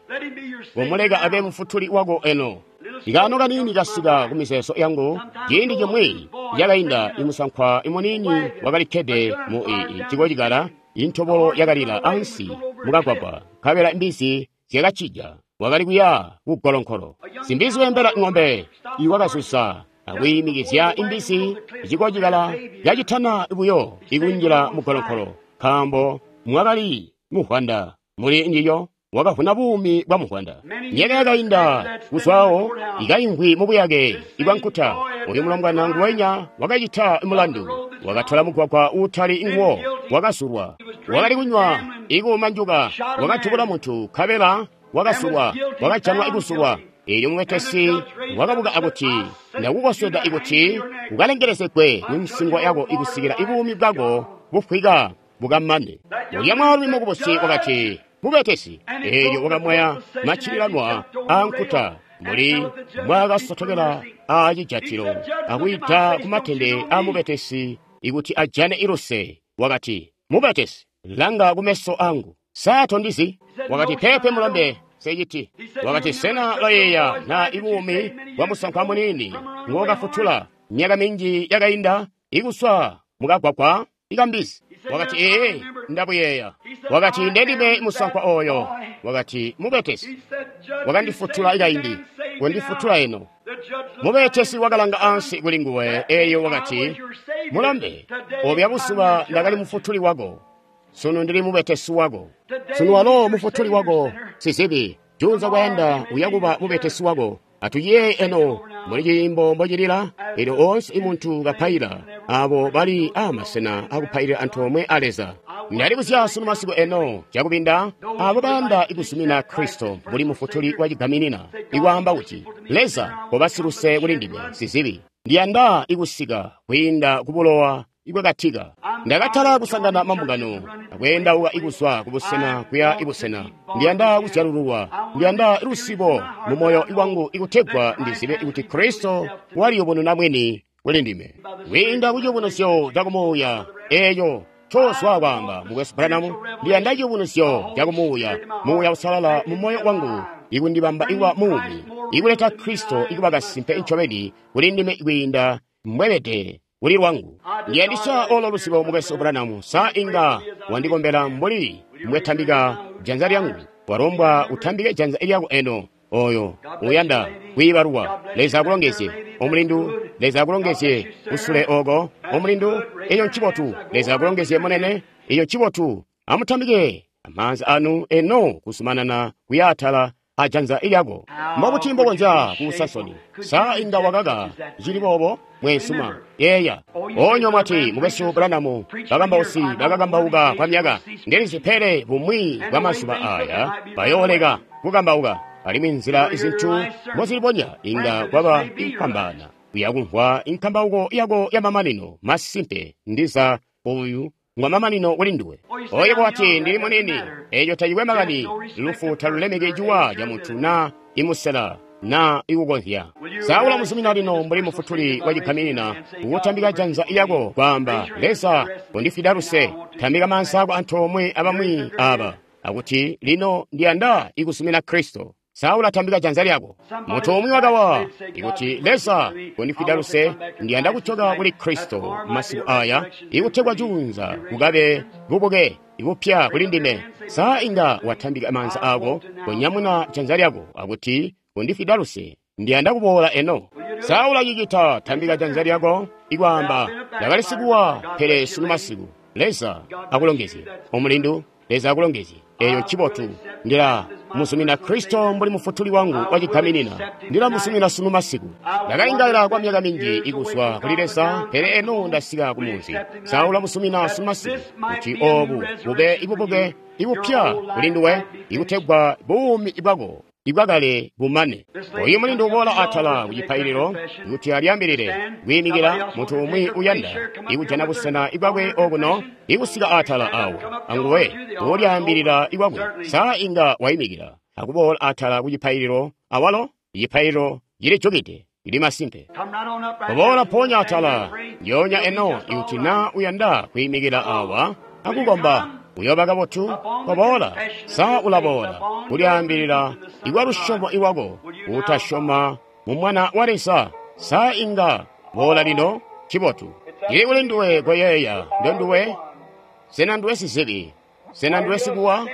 Umuleka abe mufutuli wako eno. Ikaano kaniini kasika kumizeezo yangu. Ciindi cimwi cakainda, imusankwa imuniini wakalikkede mu cikocikala, intobolo yakalila ansi mukagwagwa, nkabela imbizi zyakacija. Wakali kuya kugolonkolo. Simbizi wembela ng'ombe iwakazuza akwiimikizya imbizi cikocikala yacitana buyo ikunjila mugolonkolo, nkaambo mwakali muvwanda muli njiyo. Wakavuna buumi bwa muvwanda. Myaka yakainda kuzwawo ikaimvwi mubuyake ibwa nkuta. Uyu mulombwana nguwenya wakacita mulandu, wakatola mugwagwa uutali nguwo, wakasulwa, wakali kunywa ikuumanjuka, wakatubula muntu kabela wakasulwa, wakajanwa ikusulwa. Eelyo mubetesi wakabuka akuti, ndakukosweda ikuti ukalengelezegwe munsingo yako ikusikila ibuumi bwako bufwika bukamane. Ulya mwaalumi mukubusi wakati, mubetesi. Eelyo wakamwaya maccililanwa aankuta mbuli mbwaakasotokela aacijatilo akwiita kumatende aamubetesi ikuti ajane iluse. Wakati, mubetesi, langa kumeso angu, sa tondizi? Wakati, pepe mulombe, seciti. Wakati, sena loyeeya na ibuumi bwa musankwa muniini ngokafutula myaka minji yakainda ikuswa mukagwagwa ikambizi? Wakati, ee, ndabuyeeya. Wakati, ndendime musankwa oyo. Wakati, mubetesi, wakandifutula ikaindi, kundifutula eno. Mubetesi wakalanga ansi kuli nguwe, eyo wakati, mulambe, obya busuba ndakali mufutuli wako, sunu ndili mubetesi wako. Sunu walo mufutuli wako sizibi, junza kwayanda uyakuba mubetesi wako. Atuyeeye eno muli ciimbo mbocilila, elyo onse imuntu kapaila, abo bali amasena akupailira antoomwe a Leza. Ndali kuzya sunu masiku eno cakubinda abo bayanda ikusumina Kristo mbuli mufutuli wa cigaminina, ikwaamba kuti, Leza koba siluse kuli ndime sizibi, ndiyanda ikusika kwiinda kubulowa ibwakatika. Ndakatala kusangana mambungano akweendauka ikuzwa kubusena kuya ibusena. Ndiyanda kuzyalululwa, ndiyanda lusibo mu moyo wangu ikutegwa ndizibe kuti Kristo waliyubununa mwini kuli ndime kwiinda ku ciyubunuzyo cakumuuya eeyo cozwa kwaamba mukwesu Branham. Ndiyanda ciyubunuzyo cakumuuya, muuya usalala mu moyo wangu ikundibamba ikuba muumi, ikuleta Kristo ikuba kasimpe ncobeni kuli ndime kwiinda mbwebede kuli lwangu. Ndiyandisya olo lusibo mukwesu Branham. Sa inga wandikombela mbuli mbwetambika janza lyangu? Walombwa utambike janza lyako eno. Oyo uyanda kuibaluwa, Leza akulongezye. Omulindu, Leza akulongezye. Usule oko omulindu, eyo ncibotu. Leza akulongezye munene, eyo ncibotu. Amutambike amaanza anu eno kusumanana kuyaatala ajanza lyako. Mbobuti mbokonzya kuusa nsoni? Sa inga wakaka cili boobo mwensuma? Yeeya onyo mwati, mukwesu Branham, bakambausi bakakambauka kwa myaka, ndilizi pele bumwi bwa mazuba aya bayooleka kukambauka, alimwi nzila izintu mbozilibonya inga kwaba inkwambana uyakumvwa inkambauko yako ya mamanino. Masimpe ndiza uyu ngwa mamanino kuli nduwe. Oyo bwati ndili munini, eyo tayikwe makani. Lufu talulemeke ciwa ca muntu na imusela na ikukonzya. Saula muzumina lino mbuli mufutuli wa cigaminina ukutambika janza lyako kwaamba, Leza kundifida luse, tambika maanza ako antoomwe abamwi aba akuti lino ndiyanda ikusumina Kristo. Saula tambika janza lyako. Mutu umwi wakawa ikuti Leza kundifida luse, ndiyanda kuchoka kuli Kristo masiku aya ikutegwa junza kukabe bubuke ibupya kuli ndime. Sa inga watambika maanza ako kunyamuna janza lyako akuti kundifida luse, ndiyanda kuboola eno. Saula cicita, tambika janza lyako ikwaamba, ndakali sikuwa pele sunu masiku. Leza akulongezye omulindu, Leza akulongezye. Eyo ncibotu. Ndila musumina Kristo mbuli mufutuli wangu wacigaminina. Ndila musumina sunu masiku. Ndakaingaila kwa myaka minji ikuswa kuli Leza, pele eno ndasika kumunzi. Saula musumina sunu masiku kuti obu bube ibubuke ibupya kuli nduwe, ikutegwa buumi bwako ibwakale bumane. Oyu mulindu uboola atala kucipaililo kuti alyambilile kwiimikila munthu umwi uyanda ikujana busena ibwakwe okuno ikusika atala awo anguwe ulyambilila ikwakwe. Sa inga wayimikila akuboola atala kucipaililo awalo icipaililo cilijukide ili masimpe. Kuboola ponya atala ndyoonya eno ikuti na uyanda kwiimikila awa akukomba uyoba kabotu. Koboola. Sa ulaboola kulyaambilila ikwa lusyomo iwako utasyoma mu Mwana wa Leza? Sa inga boola lino? Cibotu. Cili kuli nduwe koyeeya ndonduwe. Sena nduwe sizibi? Sena nduwe sikuwa?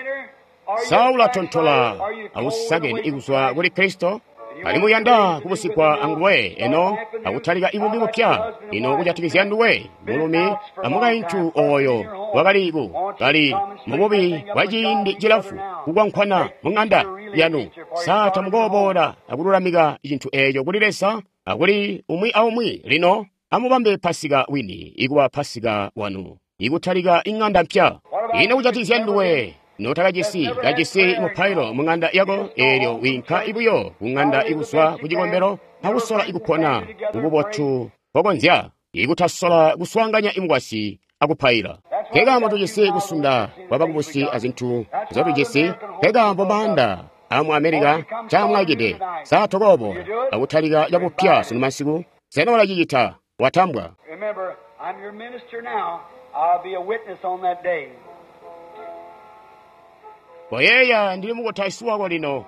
Sa ulatontola ausakeni ikuzwa kuli Kristo? Alimwi uyanda kubusigwa anguwe eno akutalika ibumbi bupya. Ino kujatikizya nduwe, mulumi amukaintu oyo wakali ku kali mububi bwa ciindi cilamfu kukwankwana mu ng'anda yanu. Sa tamukoboola akululamika cintu eco kuli Leza akuli umwi aumwi? Lino amubambe Pasika wini ikuba Pasika wanu, ikutalika ing'anda mpya. Ino kujatikizya nduwe notakajisi kajisi mupailo mu ng'anda yako, eelyo wiinka ibuyo ku ng'anda ikuzwa ku cikombelo akusola ikupona mububotu bokonzya, ikutasola kuswaanganya imukwasyi akupaila. Nkekaambo tujisi kusunda kwa bakubusi azintu nzyotujisi. Nkekaambo maanda amu Amerika ncaamwaikide. Sa tokoobola akutalika cabupya sunu masiku? Sena ulacicita? Watambwa. Remember, I'm your minister now. I'll be a witness on that day. Koyeeya, ndili mukutausi wako lino.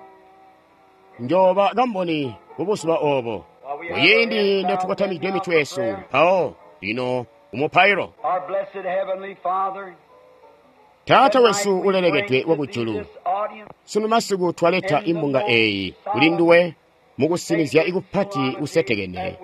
Njooba kamboni kubuzuba obo. Muciindi notukotamikide mitwe yesu, mpawo lino umupailo. Our blessed Heavenly Father, Taata wesu ulelekedwe wakujulu, this audience sunu masiku twaleta imbunga eyi kuli nduwe mukusinizya ikupati kusetekene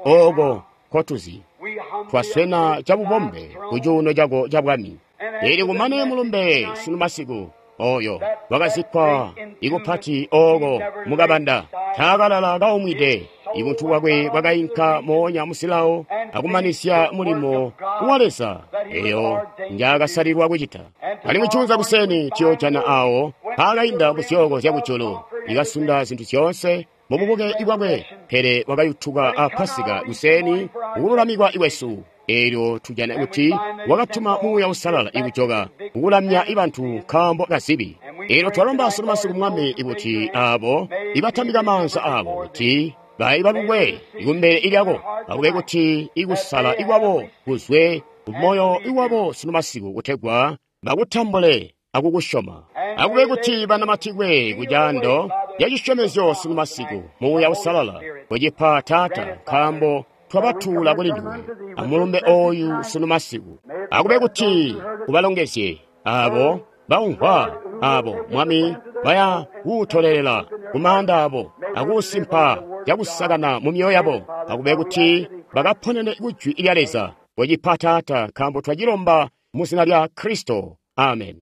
oko kotuzi. we humbly Twaswena cabubombe ku cuuno cako ca bwami. Ili kumane mulumbe sunu masiku oyo wakazikkwa ikupati oko mukabanda taakalala kaumwide. Ibuntu bwakwe bwakainka moonya musilawo akumanisya mulimo wa Leza eyo njaakasalilwa kucita. Alimwi cuunza kuseni tuyoojana awo paakainda ku zyooko zyakujulu ikasunda zintu zyoonse mububuke bwakwe, pele wakayutuka a Pasika kuseni kukululamikwa iwesu. Eelyo tujana kuti wakatuma Muuya Uusalala ikujoka kukulamya ibantu nkaambo kazibi. Eelyo twalomba sunu masiku Mwami ikuti abo ibatambika maanza abo kuti baibalukwe ikumbele ilyako, akube kuti ikusala ikwabo kuzwe kumoyo iwabo sunu masiku kutegwa bakutambule akukusyoma. Akube kuti banamatikwe kucaando ya cisyomezyo sunu masiku Muuya Uusalala kucipa Taata, nkaambo twabatuula kuli nduwe amulumbe oyu sunu masiku. Akube kuti ubalongezye abo baumvwa, abo Mwami baya kuutolelela kumaanda abo akuusimpa cakusakana mu myoyo yabo. Akube kuti bakaponene kujwi lya Leza. Kucipa Taata, nkaambo twacilomba mu zina lya Kristo. Amen.